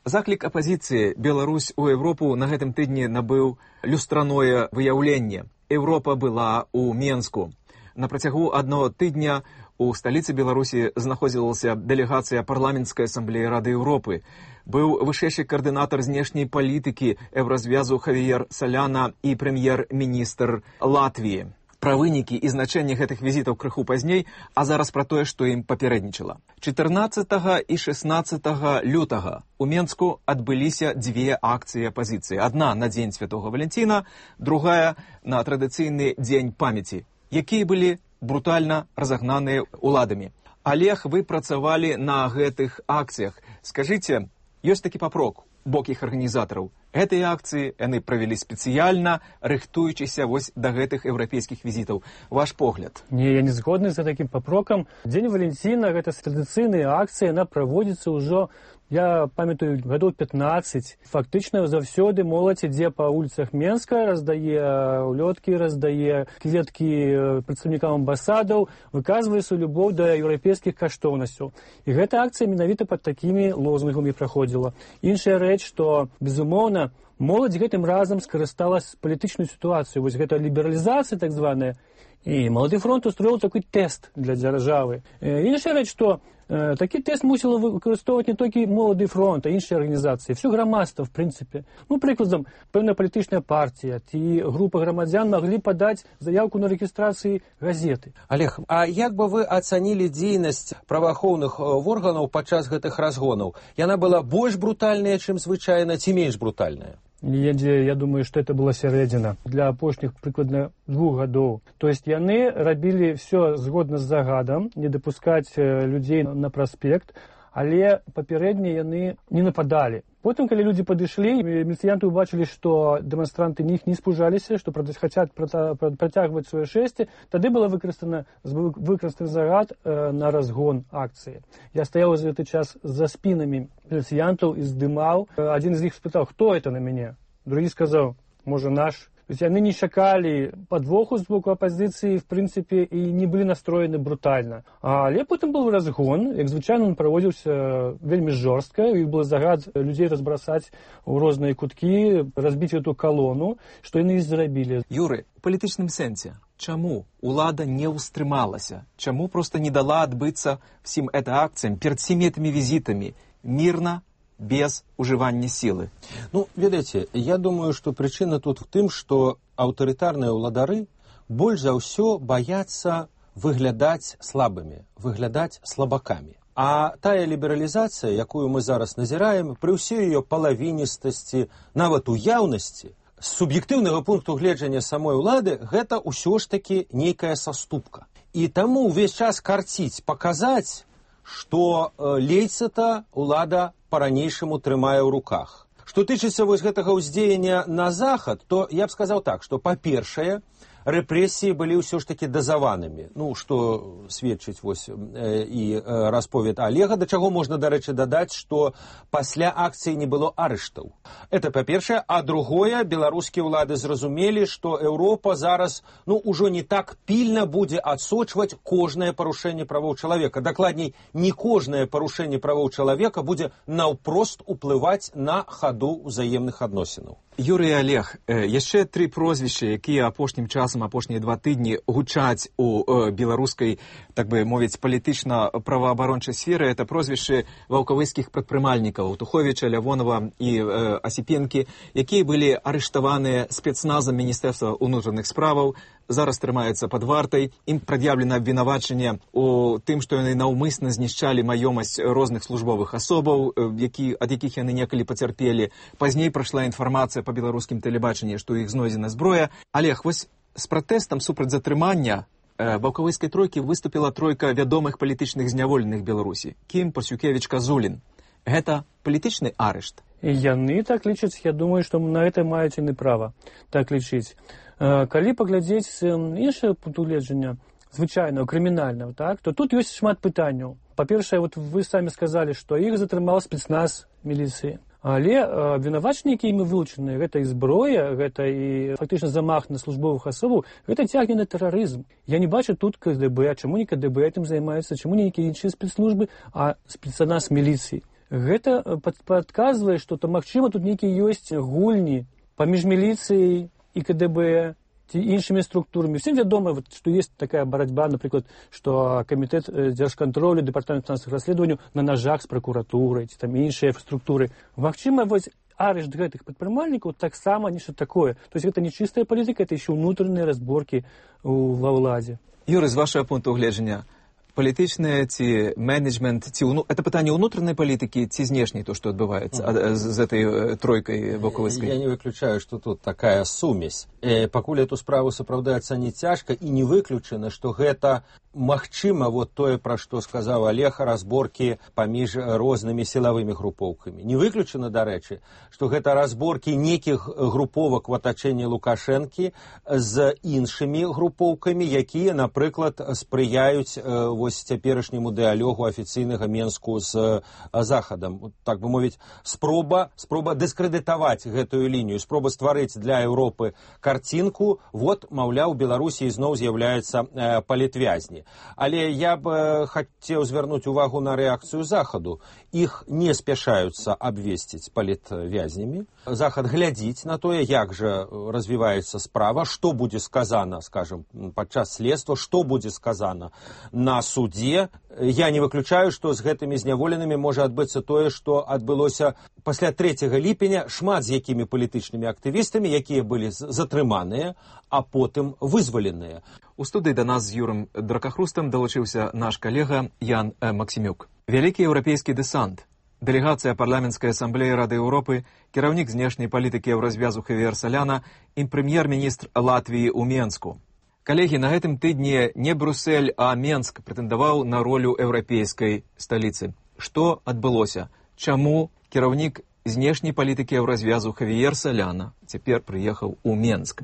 Заклік апазіцыі «Беларусь у Еўропу» на гэтым тыдні набыў люстраное выяўленне. Еўропа была ў Менску. На працягу аднаго тыдня у сталіцы Беларусі знаходзілася дэлегацыя парламенцкай асамблеі Рады Еўропы. Быў вышэйшы каардынатар знешняй палітыкі Еўразвязу Хавіер Саляна і прэм'ер-міністр Латвіі. Пра вынікі і значэнне гэтых візітаў крыху пазней, а зараз пра тое, што ім папярэднічала. чатырнаццатага і шэснаццатага лютага у Менску адбыліся дзве акцыі апазіцыі. Адна на дзень Святога Валянціна, другая на традыцыйны дзень памяці, якія былі брутальна разагнаныя ўладамі. Алег, вы працавалі на гэтых акцыях. Скажыце, ёсць такі папрок у бок іх арганізатараў. Гэтыя акцыі яны правялі спецыяльна, рыхтуючыся вось да гэтых еўрапейскіх візітаў. Ваш погляд? Не, я не згодны за такім папрокам. Дзень Валянціна, гэта традыцыйная акцыя, яна праводзіцца ўжо, я памятаю, гадоў пятнаццаць. Фактычна заўсёды моладзь ідзе па вуліцах Менска, раздае улёткі, раздае кветкі прадстаўнікам амбасадаў, выказвае сваю любоў да еўрапейскіх каштоўнасцяў. І гэта акцыя менавіта пад такімі лозунгамі праходзіла. Іншая рэч, што, безумоўна, моладзь гэтым разам скарысталась палітычную сітуацыю. Вось гэта лібералізацыя так званая. І Малады фронт устроіў такой тэст для дзяржавы. Іншая рэч, што э, такі тэст мусіла выкарыстоўваць не толькі Малады фронт, а іншыя арганізацыі. Всё грамадства, в прынцыпе. Ну, прыкладам, пэўная палітычная партія ці група грамадзян маглі падаць заявку на рэгістрацыі газеты. Олег, а як бы вы ацанілі дзейнасць праваахоўных органаў падчас гэтых разгонаў? Яна была больш брутальная, чым звычайна, ці менш брутальная? Я, я думаю, что это была сярэдзіна для апошніх прыкладна двух гадоў. То есть яны рабілі все згодна з загадам, не дапускаць людзей на праспект, але папярэдне яны не нападалі. Потым, калі людзі падышлі, міліцыянты ўбачылі, што дэманстранты іх не спужаліся, што хацяць працягваць сваё шэсце, тады была выкарыстана выкарыстаны загад на разгон акцыі. Я стаяў за гэты час за спінамі міліцыянтаў і здымаў. Адзін з іх спытаў, хто это на мяне? Другі сказаў, можа, наш. То есть яны не чакалі падвоху з боку апазіцыі, в прынцыпе, і не былі настроены брутальна. Але потым быў разгон, як звычайна он праводзіўся вельмі жорстка, і быў загад людзей разбрасаць у розныя куткі, разбіць эту калону, што яны і зрабілі. Юры, у палітычным сэнсе, чаму улада не ўстрымалася? Чаму проста не дала адбыцца всім гэта акцыям перад всімі гэтымі візітамі мірна, без ужывання сілы? Ну, ведаеце, я думаю, што прычына тут в тым, што аўтарытарныя ўладары больш за ўсё баяцца выглядаць слабымі, выглядаць слабакамі. А тая лібералізацыя, якую мы зараз назіраем, пры ўсёй ее палавіністасці, нават уяўнасці, з суб'ектыўнага пункту гледжання самой улады, гэта ўсё ж такі нейкая саступка. І таму ўвесь час карціць, паказаць, што лейца-то улада па-ранейшаму трымае ў руках. Што тычыцца вось гэтага ўздзеяння на захад, то я б сказаў так, што, па-першае, рэпрэсіі былі ўсё ж такі дазаванымі. Ну, што сведчыць вось э, і э, расповед Олега, да чаго можна, дарэчы, дадаць, што пасля акцыі не было арыштаў. Это па-першае, а другое, беларускія ўлады зразумелі, што Еўропа зараз, ну, ужо не так пільна будзе адсочваць кожнае парушэнне правоў чалавека. Дакладней, не кожнае парушэнне правоў чалавека будзе наўпрост уплываць на хаду ўзаемных адносінаў. Юрый и Олег, э, яшчэ тры прозвішчы, якія апошнім часам, апошнія два тыдні гучаць у э, беларускай, так бы мовіць, палітычна-праваабарончай сферы. Это прозвішчы ваўкавыскіх прадпрымальнікаў Туховіча, Лявонова і э, Асіпенкі, якія былі арыштаваныя спецназам Міністэрства ўнутраных справаў, зараз трымаюцца пад вартай. Ім прад'яўлена абвінавачанне у тым, што яны наўмысна знішчалі маёмасць розных службовых асобаў, які, ад якіх яны некалі пацярпелі. Пазней прайшла інфармацыя па беларускім тэлебачанні, што ў іх знойдзена зброя. Олег, вось з пратэстам супраць затрымання э, ваўкавыскай тройкі выступіла тройка вядомых палітычных зняволеных Беларусі. Кім, Пасюкевіч, Казулін. Гэта палітычны арышт? І яны так лічаць, я думаю, што на гэта маюць яны права так лічыць. Калі паглядзець іншае пункту гледжання, звычайного, крымінального, так, то тут ёсць шмат пытанняў. Па-першае, вот вы самі сказалі, што іх затрымаў спецназ міліцыі. Але абвінавачанні, якія імі вылучаныя, гэта і зброя, гэта і фактычна замах на службовых асобаў, гэта цягне на тэрарызм. Я не бачу тут ка дэ бэ, чаму не ка дэ бэ этим займаецца, чаму не нейкія іншыя спецслужбы, а спецназ міліцыі. Гэта падказвае, што то, магчыма, тут нейкія ёсць гульні паміж міліцыяй і ка дэ бэ, ці іншымі структурамі. Всем вядома, вот, што ёсць такая барацьба, напрыклад, што камітэт дзяржкантролю, дэпартамент фінансавых расследаванняў на нажах з пракуратурай, ці там іншыя структуры. Магчыма, вось арышт гэтых прадпрымальнікаў таксама нешта такое. То есть гэта не чыстая палітыка, это еще ўнутраныя разборкі ва ўладзе. Юры, з вашага пункту гледжання, палітычнае ці менеджмент, ці ўну... это пытанне ўнутранай палітыкі ці знешняй, то, што адбываецца mm. з этой тройкай боковыскай? Я не выключаю, што тут такая сумесь. Э, пакуль эту справу сапраўды ацаніць цяжка, і не выключана, што гэта магчыма, вот тое, пра што сказаў Олег, разборкі паміж рознымі сілавымі групоўкамі. Не выключана, дарэчы, што гэта разборкі нейкіх груповак в атачэнні Лукашэнкі з іншымі групоўкамі, якія, напрыклад, спрыяюць э, вось цяперашняму дыалогу афіцыйнага Менску з Захадам. Так бы мовіць, спроба, спроба дыскрэдытаваць гэтую лінію, спроба стварыць для Еўропы карцінку, вот, маўляў, Беларусі зноў з'яўляецца э, палітвязні. Але я б хацеў звярнуць увагу на рэакцыю Захаду. Іх не спяшаюцца абвесціць палітвязнямі. Захад глядзіць на тое, як жа развіваецца справа, што будзе сказана, скажем, падчас следства, што будзе сказана на судзе. Я не выключаю, што з гэтымі зняволенымі можа адбыцца тое, што адбылося пасля трэцяга ліпеня, шмат з якімі палітычнымі актывістамі, якія былі затрыманыя, а потым вызваленыя. У студыі да нас з Юрым Дракахрустам далучыўся наш калега Ян Максімюк. Вялікі еўрапейскі дэсант, дэлегацыя парламенцкай асамблеі Рады Еўропы, кіраўнік знешняй палітыкі Еўразвязу Хавіер Саляна і прэм'ер-міністр Латвіі ў Менску. Калегі, на гэтым тыдні не Брюссель, а Менск прэтэндаваў на ролю еўрапейскай сталіцы. Што адбылося? Чаму кіраўнік знешняй палітыкі Еўразвязу Хавіер Саляна цяпер прыехаў у Менск?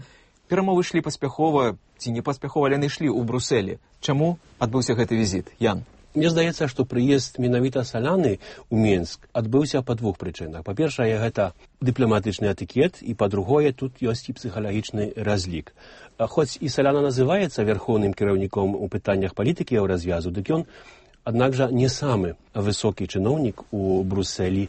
Перамовы ішлі паспяхова, ці не паспяхова, але яны ішлі ў Брюсселі. Чаму адбыўся гэты візіт? Ян? Мне здаецца, што прыезд менавіта Саляны ў Менск адбыўся па двух прычынах. Па-першае, гэта дыпламатычны этыкет, і па-другое, тут ёсць і псіхалагічны разлік. Хоць і Саляна называецца вярхоўным кіраўніком у пытаннях палітыкі Еўразвязу, дык ён, аднак жа, не самы высокі чыноўнік у Брюсселі.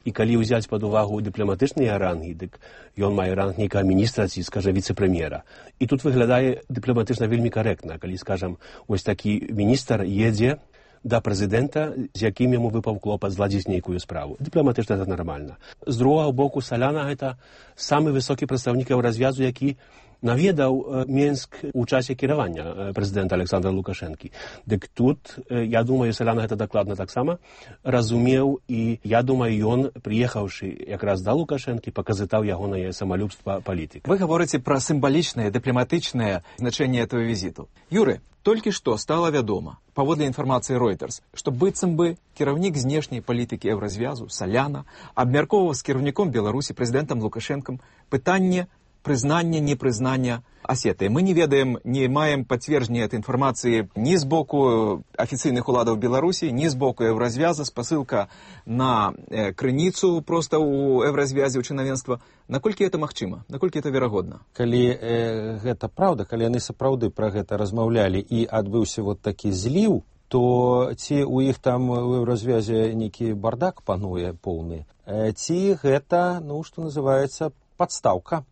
І калі ўзяць пад увагу дыпламатычныя рангі, дык ён мае ранг нейкага міністра ці, скажа, віцэ-прэм'ера. І тут выглядае дыпламатычна вельмі карэктна, калі, скажам, ось такі міністр едзе да прэзідэнта, з якім яму выпаў клопат зладзіць нейкую справу. Дыпламатычна гэта нармальна. З другога боку, Саляна гэта самы высокі прадстаўнік Еўразвязу, які наведаў Менск у часе кіравання прэзідэнта Александра Лукашэнкі. Дык тут, я думаю, Саляна гэта дакладна таксама разумеў, і я думаю, ён, прыехаўшы якраз да Лукашэнкі, паказытаў ягонае самалюбства палітыка. Вы гаворыце пра сімвалічнае, дыпламатычнае значэнне этого візіту. Юры, толькі што стала вядома, паводле інфармацыі Reuters, што быццам бы кіраўнік знешняй палітыкі Еўразвязу Саляна абмяркоўваў з кіраўніком Беларусі прэзідэнтам Лукашэнкам пытанне прызнання, непрызнання Асетыі. Мы не ведаем, не маем пацверджання этой інфармацыі ні з боку афіцыйных уладаў Беларусі, ні з боку Еўразвяза, спасылка на э, крыніцу проста ў Еўразвязе, у чынавенства. Наколькі это магчыма? Наколькі это верагодна? Калі э, гэта праўда, калі яны сапраўды пра гэта размаўлялі і адбыўся вот такі зліў, то ці ў іх там у Еўразвязе нейкі бардак пануе поўны, э, ці гэта, ну, што называецца, падстаўка.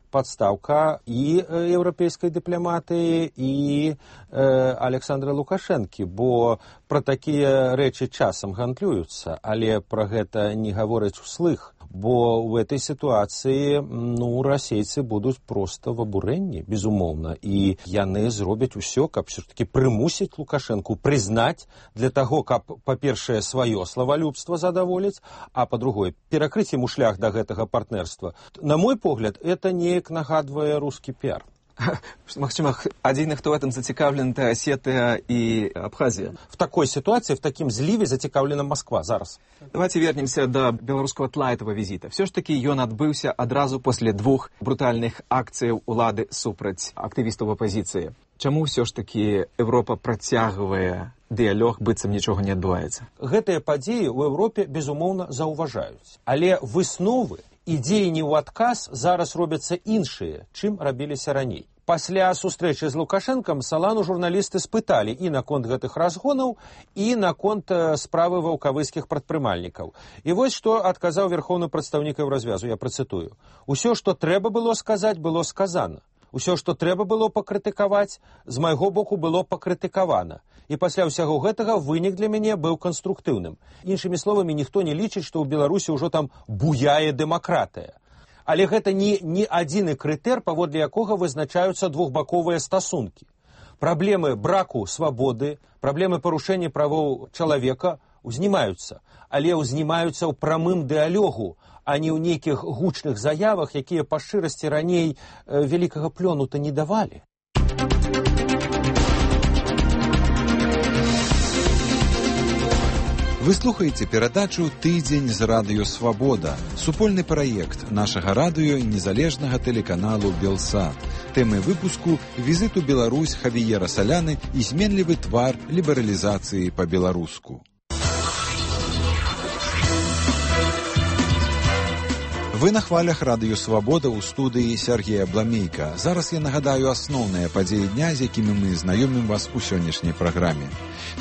Падстаўка і еўрапейскай дыпламатыі, і э, Александра Лукашэнкі, бо пра такія рэчы часам гандлююцца, але пра гэта не гавораць услых, бо ў этой сітуацыі, ну, расейцы будуць проста в абурэнні, безумоўна, і яны зробяць усё, каб все-таки прымусіць Лукашэнку прызнаць для таго, каб, па-першае, сваё славалюбства задаволіць, а па-другое, перакрыць яму шлях да гэтага партнерства. На мой погляд, это неяк нагадвае рускі піар. Магчыма, адзіны, хто в этом зацікавлен, это Осетия и Абхазия. В такой ситуации, в таким зливе зацікавлена Москва зараз. Давайте вернемся до беларускага тла этого визита. Все ж таки ён адбыўся адразу после двух брутальных акцыяў улады супраць актывістаў апозіцыі. Чаму все ж таки Европа працягвае дыялог, быццам нічога не адбываецца? Гэтыя падзеі ў Европе, безумоўна, заўважаюць. Але высновы і дзеянні ў адказ зараз робяцца іншыя, чым рабіліся раней. Пасля сустрэчы з Лукашэнкам Салану журналісты спыталі і наконт гэтых разгонаў, і наконт справы ваўкавыскіх прадпрымальнікаў. І вось што адказаў верхоўны прадстаўнік Еўразвязу, я працытую. «Усё, што трэба было сказаць, было сказана. Усё, што трэба было пакрытыкаваць, з майго боку было пакрытыкавана. І пасля ўсяго гэтага вынік для мяне быў канструктыўным. Іншымі словамі, ніхто не лічыць, што ў Беларусі ўжо там буяе дэмакратыя. Але гэта не, не адзіны крытэр, паводле якога вызначаюцца двухбаковыя стасункі. Праблемы браку свабоды, праблемы парушэння правоў чалавека узнімаюцца, але ўзнімаюцца ў прамым дыалогу, а не ў нейкіх гучных заявах, якія па шчырасці раней э, вялікага плёну-то не давалі. Вы слухаеце перадачу «Тыдзень з радыё Свабода», супольны праект нашага радыё і незалежнага тэлеканалу «Белсат». Тэмы выпуску «Візит у Беларусь Хавіера Саляны і зменлівы твар лібералізацыі па-беларуску». Вы на хвалях радыё Свабода ў студыі Сергея Бламейка. Зараз я нагадаю асноўныя падзеі дня, з якімі мы знаёмім вас у сённяшняй праграме.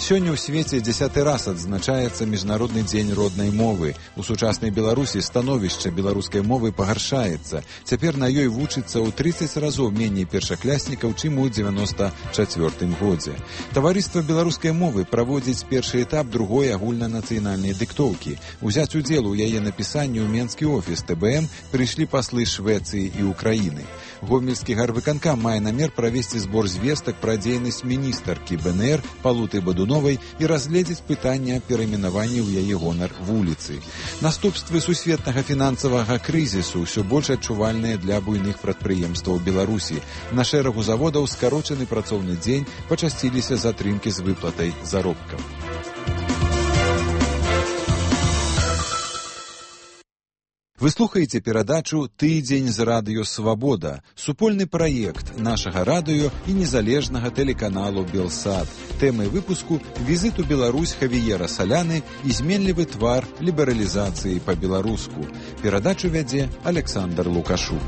Сёння ў свеце дзесяты раз адзначаецца Міжнародны дзень роднай мовы. У сучаснай Беларусі становішча беларускай мовы пагаршаецца. Цяпер на ёй вучыцца ў трыццаць разоў меней першакляснікаў, чым у дзевяноста чацвёртым годзе. Таварыства беларускай мовы праводзіць першы этап другой агульнанацыянальнай дыктоўкі. Узяць удзел у яе напісанні ў менскі офіс тэ бэ эм прыйшлі паслы Швецыі і Украіны. Гомельскі гарвыканкам мае намер правесці збор звестак пра дзейнасць міністаркі бэ эн эр Палуты Бадуновай і разгледзець пытанне перайменавання ў яе гонар вуліцы. Наступствы сусветнага фінансавага крызісу ўсё больш адчувальныя для буйных прадпрыемстваў Беларусі. На шэрагу заводаў скарочаны працоўны дзень, пачасціліся затрымкі з выплатай заробкаў. Вы слухаеце перадачу «Тыдзень з радыё Свабода», супольны праект нашага радыё і незалежнага тэлеканалу «Белсат». Тэмай выпуску «Візит у Беларусь Хавіера Саляны і зменлівы твар лібералізацыі па-беларуску». Перадачу вядзе Александр Лукашук.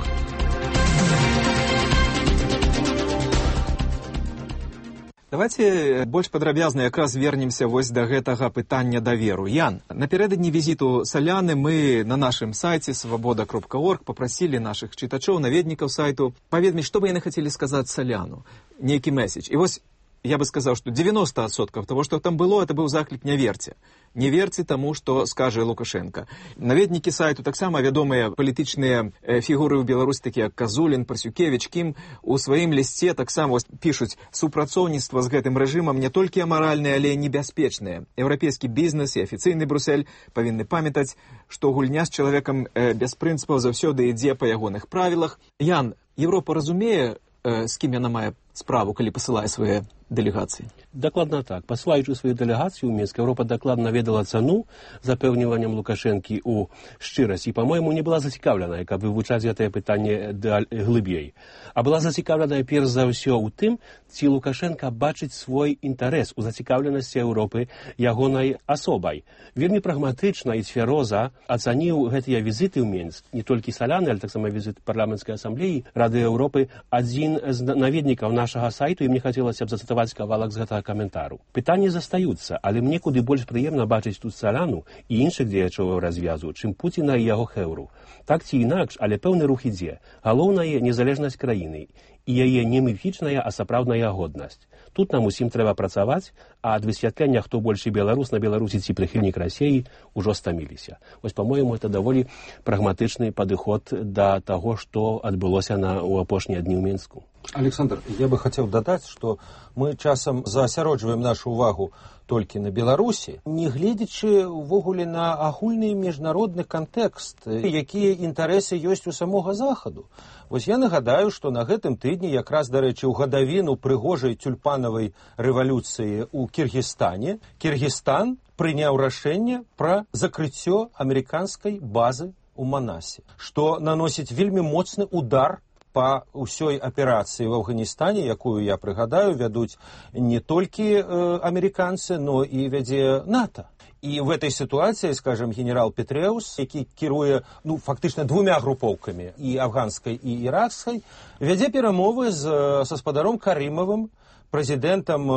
Давайте больш падрабязна якраз вернемся вось да гэтага пытання даверу. Ян, напярэдадні візіту Саляны мы на нашым сайце свабода кропка орг папрасілі нашых чытачоў, наведнікаў сайту паведаміць, што бы яны хацелі сказаць Саляну, нейкі месседж. І вось я бы сказаў, што дзевяноста адсоткаў того, што там было, это быў заклік не верце. Не верце таму, што скажа Лукашенко. Наведнікі сайту таксама вядомыя палітычныя фігуры ў Беларусі, такія як Казулін, Парсюкевіч, Кім, у сваім лісце таксама пішуць: супрацоўніцтва з гэтым рэжымам не толькі амаральнае, але і небяспечнае. Еўрапейскі бізнес і афіцыйны Брюссель павінны памятаць, што гульня з чалавекам без прынцыпаў заўсёды ідзе па ягоных правілах. Ян, Еўропа разумее, з кім яна мае справу, калі пасылае свае дэлегацыі? Дакладна так. Пасылаючы сваю дэлегацыю ў Мінск, Еўропа дакладна ведала цану запэўніваннем Лукашэнкі ў шчырасці і, па-мойму, не была зацікаўленая, каб вывучаць гэтае пытанне глыбей. А была зацікаўленая перш за ўсё ў тым, ці Лукашенка бачыць свой інтарэс у зацікаўленасці Еўропы ягонай асобай. Вельмі прагматычна і цвяроза ацаніў гэтыя візіты ў Мінск, не толькі Саляны, але таксама візіт парламенцкай асамблеі Рады Еўропы, адзін з наведнікаў нашага сайту, і мне хацелася б зацытаваць кавалак з гэтага каментару. Пытанні застаюцца, але мне куды больш прыемна бачыць тут Саляну і іншых дзеячоў развязу, чым Пуціна і яго хэўру. Так ці інакш, але пэўны рух ідзе. Галоўнае незалежнасць краіны і яе не міфічная, а сапраўдная годнасць. Тут нам усім трэба працаваць, а ад высвятлення, хто большы беларус на Беларусі ці прыхільнік Расіі, ужо стаміліся. Вось, па-мойму, это даволі прагматычны падыход да таго, што адбылося на, у апошнія дні ў Мінску. Александр, я бы хотел дадаць, што мы часам заасяроджваем нашу увагу толькі на Беларусі, не гледзячы ўвогуле на агульны міжнародны кантэкст, якія інтарэсы ёсць у самога Захаду. Вось я нагадаю, што на гэтым тыдні, якраз, дарэчы, у гадавіну прыгожай тюльпанавай рэвалюцыі ў Кіргізстане, Кіргізстан прыняў рашэнне пра закрыццё амерыканскай базы ў Манасе, што наносіць вельмі моцны удар па ўсёй аперацыі в Афганістане, якую, я прыгадаю, вядуць не толькі э, амерыканцы, но і вядзе НАТО. І в этой ситуації, скажем, генерал Петреус, який кіруе, ну, фактично двумя групоўкамі, і афганскай, і іракскай, вядзе перамовы з гаспадаром Карымавым, прэзідэнтам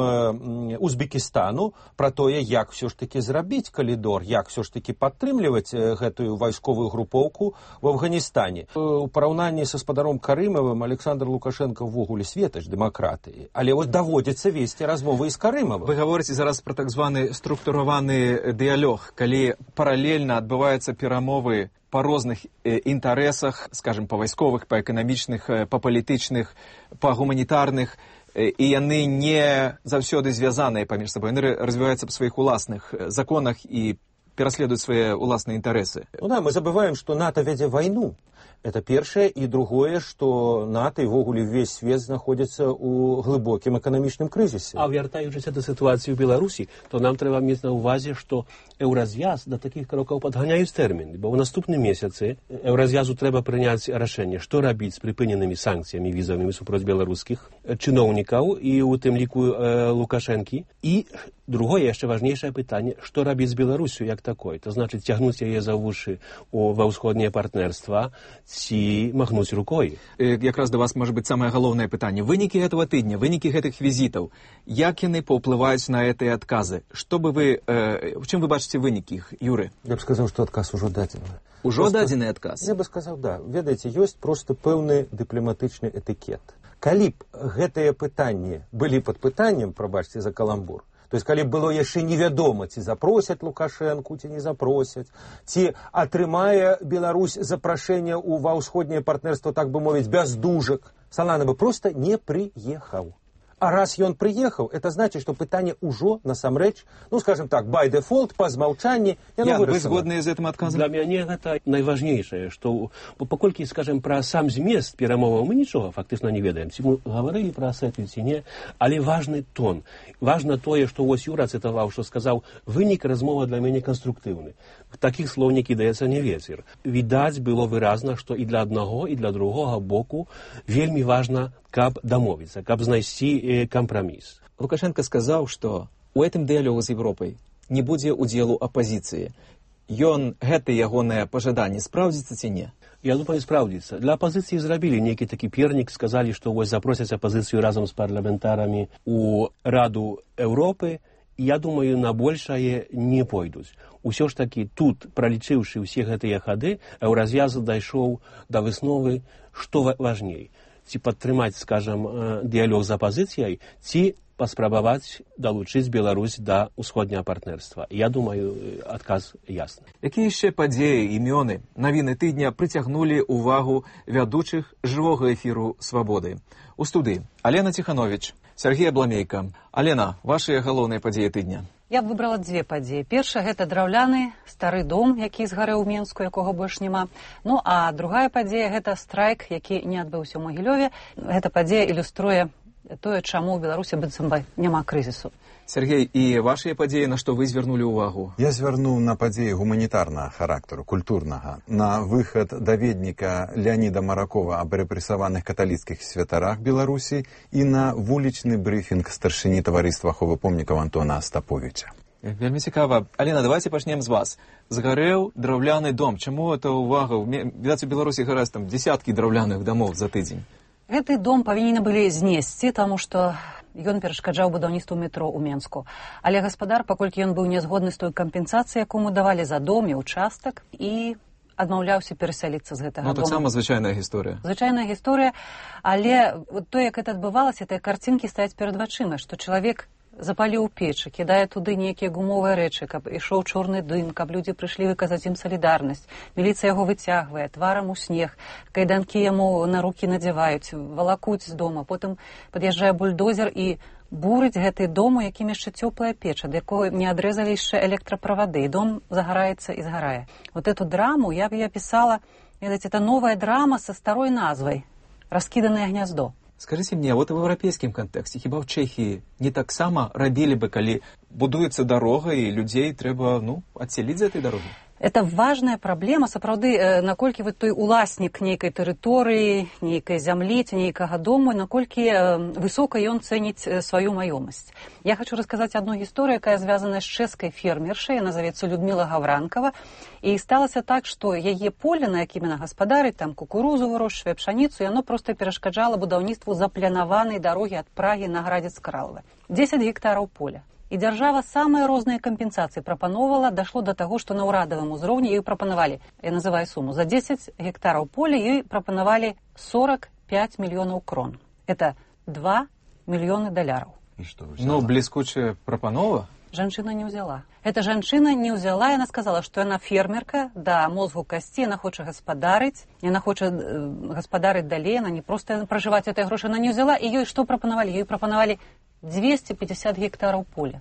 Узбекістану, пра тое, як все ж таки зрабіць калідор, як все ж таки падтрымліваць гэтую вайсковую групоўку в Афганістане. У параўнанні са гаспадаром Карымавым Александр Лукашенко ўвогуле светач дэмакратыі, але вось даводзіцца весці размовы з Карымавым. Вы гаворыце зараз пра так званы структураваны дыялог, калі паралельна адбываюцца перамовы па розных інтарэсах, скажем, па вайсковых, па эканамічных, па палітычных, па гуманітарных, і яны не заўсёды звязаныя паміж сабой, яны развіваюцца па сваіх уласных законах і пераследуюць свае уласныя інтарэсы. Ну да, мы забываем, што НАТО вядзе вайну. Это першае, і другое, што НАТО і ввогуле ўвесь свет знаходзіцца ў глыбокім эканамічным крызісе. А вяртаючыся да сітуацыі ў Беларусі, то нам трэба мець на ўвазе, што еўразвяз да такіх крокаў падганяюць тэрмін, бо ў наступным месяцы еўразвязу трэба прыняць рашэнне, што рабіць з прыпыненымі санкцыямі візавымі супроць беларускіх чыноўнікаў і у тым ліку э, Лукашэнкі. І другое, яшчэ важнейшае пытанне, што рабіць з Беларусю як такой, то значыць цягнуць яе за вушы ва ўсходняе партнерства ці махнуць рукой. Якраз да вас, можа быць, самае галоўнае пытанне. Вынікі гэтага тыдня, вынікі гэтых візітаў, як яны паўплываюць на гэтыя адказы? Што бы вы, э, в чым вы бачыце вынікі іх, Юры? Я б сказаў, што адказ ужо дадзены. Ужо дадзены адказ? Я бы сказаў, да. Ведаеце, ёсць проста пэўны дыпламатычны этыкет. Калі б гэтыя пытанні былі пад пытаннем, прабачце за каламбур, то есть, калі было яшчэ невядома, ці запросяць Лукашэнку, ці не запросяць, ці атрымае Беларусь запрашэнне ва ўсходняе партнерства, так бы мовіць, без дужак, Салана бы проста не прыехаў. А раз ён прыехаў, это значит, што пытанне ўжо насамрэч, ну, скажем так, by default, па змаўчанні, яно вырашана. Вы згодныя з гэтым адказам? Для мяне гэта найважнейшае, што паколькі, скажем, пра сам змест перамоваў мы нічога фактычна не ведаем. Ці мы гаварылі пра асетыю, ці не, але важны тон. Важна тое, што вось Юра цытаваў, што сказаў, вынік размова для мяне канструктыўны. Такіх слоў не кідаецца не вецер. Відаць было выразна, што і для аднаго, і для другога боку вельмі важна, каб дамовіцца, каб знайсці кампраміс. Лукашенко сказаў, што у гэтым дыялогу з Европай не будзе удзелу апазіцыі. Ён, гэта ягонае пажаданне, спраўдзіцца ці не? Я думаю, спраўдзіцца. Для апазіцыі зрабілі нейкі такі пернік, сказалі, што вось запросяць апазіцыю разам з парламентарамі у Раду Еўропы. Я думаю, на большае не пойдуць. Усё ж такі тут, пралічыўшы ўсе гэтыя хады, еўразвяз дайшоў да высновы, што важней. Ці падтрымаць, скажам, дыялог з апазіцыяй, ці паспрабаваць далучыць Беларусь да ўсходняга партнерства. Я думаю, адказ ясны. Якія яшчэ падзеі, імёны, навіны тыдня прыцягнулі ўвагу вядучых жывога эфіру «Свабоды»? У студыі Алена Ціхановіч, Сергей Абламейка. Алена, вашыя галоўныя падзеі тыдня? Я б выбрала дзве падзеі. Першая – гэта драўляны стары дом, які згарэў у Менску, якога больш няма. Ну, а другая падзея – гэта страйк, які не адбыўся ў Магілёве. Гэта падзея ілюструе тое, чаму ў Беларусі быццам бы няма крызісу. Сергей, і вашыя падзеі, на што вы звярнулі ўвагу? Я звярнуў на падзеі гуманітарнага характару, культурнага, на выхад даведніка Леаніда Маракова аб рэпрэсаваных каталіцкіх святарах Беларусі і на вулічны брыфінг старшыні таварыства аховы помнікаў Антона Астаповіча. Вельмі цікава. Алена, давайте пачнем з вас. Згарэў драўляны дом. Чаму гэта ўвага? Відаць, у Беларусі гараць там дзесяткі драўляных дамоў за тыдзень. Гэты дом павінны былі знесці, таму што ён перашкаджаў будаўніцтву метро ў Менску. Але гаспадар, паколькі ён быў не згодны з той кампенсацыяй, якому давалі за дом і участак, і адмаўляўся перасяліцца з гэтага дома. Ну, таксама звычайная гісторыя. Звычайная гісторыя, але то, як гэта адбывалася, тыя карцінкі стаяць перад вачыма, што чалавек запаліў печы, кідае туды нейкія гумовыя рэчы, каб ішоў чорны дым, каб людзі прыйшлі выказаць ім салідарнасць. Міліцыя яго выцягвае, тварам у снег, кайданкі яму на рукі надзяваюць, валакуць з дома, потым пад'язджае бульдозер і бурыць гэты дом, у якім яшчэ цёплая печа, да якога не адрэзалі яшчэ электраправады, і дом загараецца і згарае. Вот эту драму я б я пісала, ведаеце, это новая драма са старой назвай «Раскіданае гняздо». Скажите мне, вот в европейском контексте, хіба в Чехии не таксама рабілі бы, калі будуецца дарога і людзей трэба, ну, адселіць з этой дарогі? Это важная праблема, сапраўды, наколькі вы той уласнік нейкай тэрыторыі, нейкай зямлі, ці нейкага дому, наколькі высока ён цэніць сваю маёмасць. Я хочу расказаць одну гісторыю, якая звязана з чэшскай фермершай, яна завецца Людмила Гавранкова, і сталася так, што яе поле, на якім яна гаспадарыць, там кукурузу вырошчвае, пшаніцу, яно проста перашкаджала будаўніцтву запланаванай дарогі ад Прагі на Градзец-Кралаве. дзесяць гектараў поля. І дзяржава самыя розныя кампенсацыі прапановала, дашло да таго, што на ўрадавым узроўні ёй прапанавалі, я называю суму, за дзесяць гектараў поля ёй прапанавалі сорок пять мільёнаў крон. Это два мільёны даляраў. Ну, бліскучая прапанова? Жанчына не ўзяла. Эта жанчына не ўзяла, яна сказала, што яна фермерка, да мозгу касці, яна хоча гаспадарыць, яна хоча гаспадарыць далей, яна не проста пражываць этой грошы, яна не ўзяла, і ёй што прапанавалі? Ёй прапанавалі двести пятьдесят гектараў поля.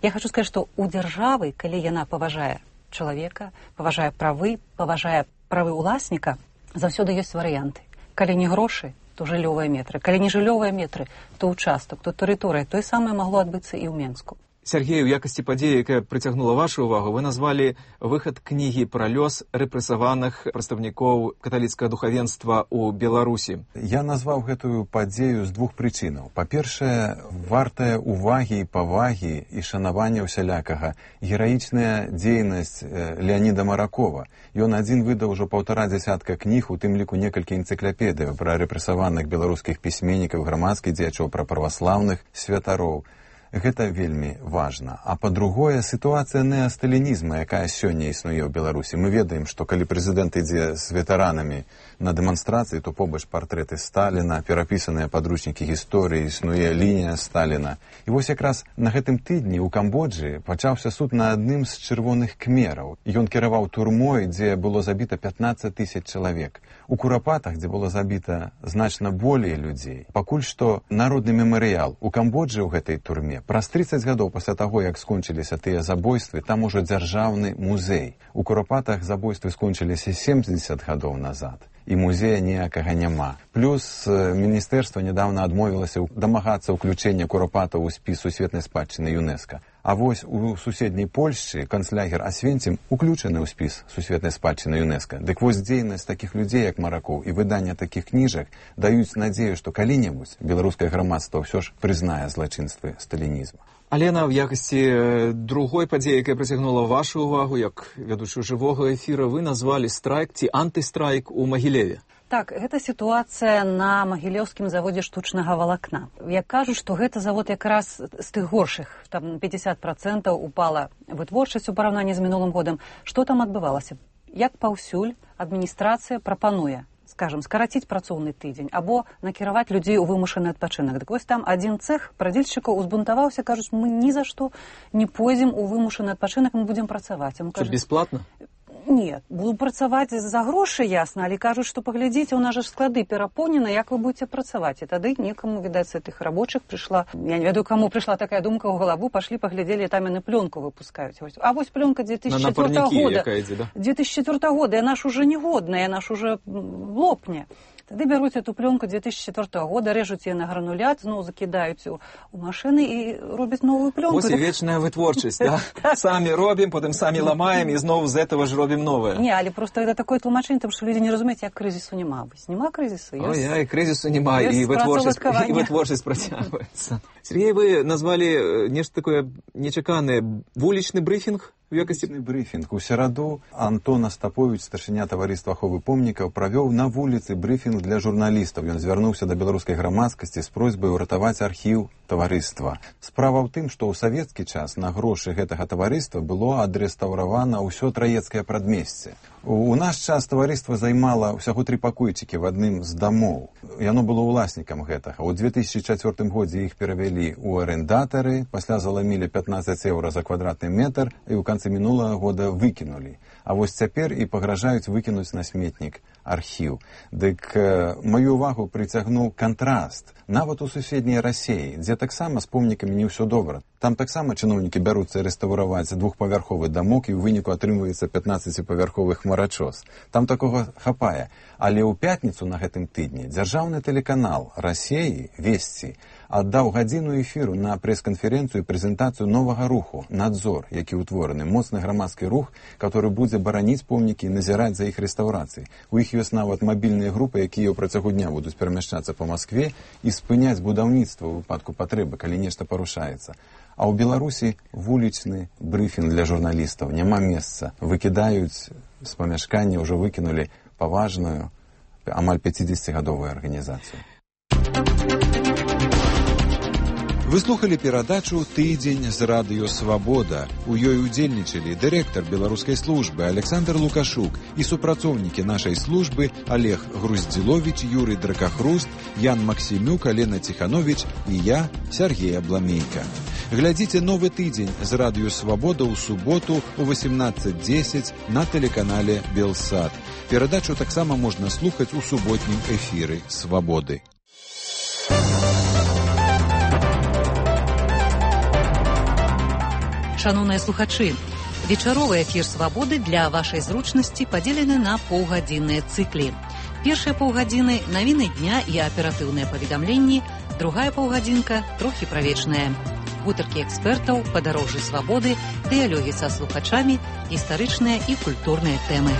Я хочу сказать, что у дзяржавы, калі яна паважае чалавека, паважае правы, паважае правы ўласніка, заўсёды ёсць варыянты. Калі не грошы, то жыллёвыя метры. Калі не жыллёвыя метры, то ўчастак, то тэрыторыя. Тое самае магло адбыцца і ў Менску. Сергей, у якасці падзеі, якая прыцягнула вашу ўвагу, вы назвалі выхад кнігі пра лёс рэпрэсаваных прадстаўнікоў каталіцкага духавенства ў Беларусі. Я назваў гэтую падзею з двух прычынаў. Па-першае, вартая увагі і павагі і шанавання ўсялякага гераічная дзейнасць Леаніда Маракова. Ён адзін выдаў ужо паўтара дзясятка кніг, у тым ліку некалькі энцыклапедыяў пра рэпрэсаваных беларускіх пісьменнікаў, грамадскіх дзеячоў, пра праваслаўных святароў. Гэта вельмі важна. А па-другое, сітуацыя неасталінізма, якая сёння існуе ў Беларусі. Мы ведаем, што калі прэзідэнт ідзе з ветэранамі на дэманстрацыі, то побач партрэты Сталіна, перапісаныя падручнікі гісторыі, існуе лінія Сталіна. І вось якраз на гэтым тыдні ў Камбоджы пачаўся суд на адным з чырвоных кмераў. Ён кіраваў турмой, дзе было забіта пятнаццаць тысяч чалавек. У Курапатах, дзе было забіта значна болей людзей. Пакуль што народны мемарыял у Камбоджы ў гэтай турме. Праз трыццаць гадоў пасля таго, як скончыліся тыя забойствы, там ужо дзяржаўны музей. У Курапатах забойствы скончыліся семьдесят гадоў назад. І музея ніякага няма. Плюс міністэрства нядаўна адмовілася дамагацца ўключэння Курапатаў у спіс сусветнай спадчыны ЮНЕСКО. А вось у суседняй Польшчы канцлягер Асвенцім уключаны ў спіс сусветнай спадчыны ЮНЕСКО. Дык вось дзейнасць такіх людзей, як Маракоў, і выданне такіх кніжак даюць надзею, што калі-небудзь беларускае грамадства ўсё ж прызнае злачынствы сталінізму. Алена, в якасці другой падзеі, якая прыцягнула вашу ўвагу, як вядучую жывога эфіра, вы назвалі страйк ці антыстрайк у Магілеве. Так, гэта сітуацыя на магілёўскім заводзе штучнага валакна. Як кажуць, што гэта завод якраз з тых горшых, там пятьдесят процентов упала вытворчасць у параўнанні з мінулым годам. Што там адбывалася? Як паўсюль адміністрацыя прапануе, скажем, скараціць працоўны тыдзень або накіраваць людзей у вымушаны адпачынак. Дык вось там адзін цэх прадзельшчыкаў узбунтаваўся, кажуць, мы ні за што не пойдзем у вымушаны адпачынак, мы будзем працаваць. Што, бесплатна? Не, буду працаваць за грошы, ясна, але кажуць, што паглядзіце, у нас жа склады перапоўнены, як вы будзеце працаваць. І тады некаму, відаць, з тых рабочых прыйшла, я не ведаю, каму прыйшла такая думка ў галаву, пашлі, паглядзелі, там яны плёнку выпускаюць. А вось плёнка две тысячи четвёртого года. Да? две тысячи четвёртого года, яна ж уже негодная, яна ж уже лопне. Тады бяруць эту плёнку две тысячи четвёртого года, рэжуць яе на гранулят, зноў закідаюць у, у машыны і робяць новую плёнку. Вось і вечная вытворчасць, да? Самі робім, потым самі ламаем і зноў з этого ж робім новае. Не, але просто гэта такое тлумачэнне, тому што людзі не разумеюць, як крызісу няма. Вось нема крызісу. Ой, я, і крызісу няма, і вытворчасць, і вытворчасць працягваецца. Сергей, вы назвалі нешта такое нечаканае, вулічны брыфінг? Векасцівны брыфінг. У сераду Антон Астапович, старшыня таварыства аховы помнікаў, правёў на вуліцы брыфінг для журналістаў. Ён звярнуўся да беларускай грамадскасці з просьбай уратаваць архіў таварыства. Справа ў тым, што ў савецкі час на грошы гэтага таварыства было адрэстаўравана ўсё траецкае прадмесце. У наш час таварыства займала ўсяго тры пакойчыкі в адным з дамоў. Яно было ўласнікам гэтага. У две тысячи чацвёртым годзе іх перавялі ў арендатары, пасля заламілі пятнадцать еўра за квадратны метр і ў канцы мінулага года выкінулі. А вось цяпер і пагражаюць выкінуць на сметнік архіў. Дык э, маю увагу прыцягнуў кантраст. Нават у суседняй Расеі, дзе таксама з помнікамі не ўсё добра. Там таксама чыноўнікі бяруцца рэстаўраваць двухпавярховы дамок, і ў выніку атрымваецца пятнаццаціпавярховы хмарачос. Там такога хапае. Але ў пятніцу на гэтым тыдні дзяржаўны тэлеканал Расеі «Весці» аддаў гадзіну эфіру на прэс-канферэнцыю і прэзентацыю новага руху «Надзор», які ўтвораны, моцны грамадскі рух, который будзе бараніць помнікі і назіраць за іх рэстаўрацыяй. У іх ёсць нават мабільныя групы, якія ў працягу дня будуць перамяшчацца па Маскве і спыняць будаўніцтва ў выпадку патрэбы, калі нешта парушаецца. А ў Беларусі вулічны брыфінг для журналістаў. Няма месца. Выкідаюць з памяшкання, ўжо выкінулі паважную, амаль пяцідзесяцігадовую арганізацыю. Вы слухали перадачу «Тыдзень з радыё Свабода». У ёй удзельнічалі дырэктар беларускай службы Александр Лукашук і супрацоўнікі нашай службы Олег Груздзіловіч, Юрый Дракахруст, Ян Максімюк, Алена Ціхановіч і я, Сергей Абламейка. Глядзіце новы тыдзень з радыё Свабода ў суботу ў восемнадцать десять на тэлеканале Белсат. Перадачу таксама можна слухаць у суботнім эфіры Свабоды. Шановныя слухачы, вечаровы эфір «Свабоды» для вашай зручнасці падзелены на паўгадзінныя цыклі. Першыя паўгадзіны – навіны дня і аператыўныя паведамленні, другая паўгадзінка – трохі правечная. Гутаркі экспертаў, падарожжы свабоды, дыялогі са слухачамі, гістарычныя і культурныя тэмы.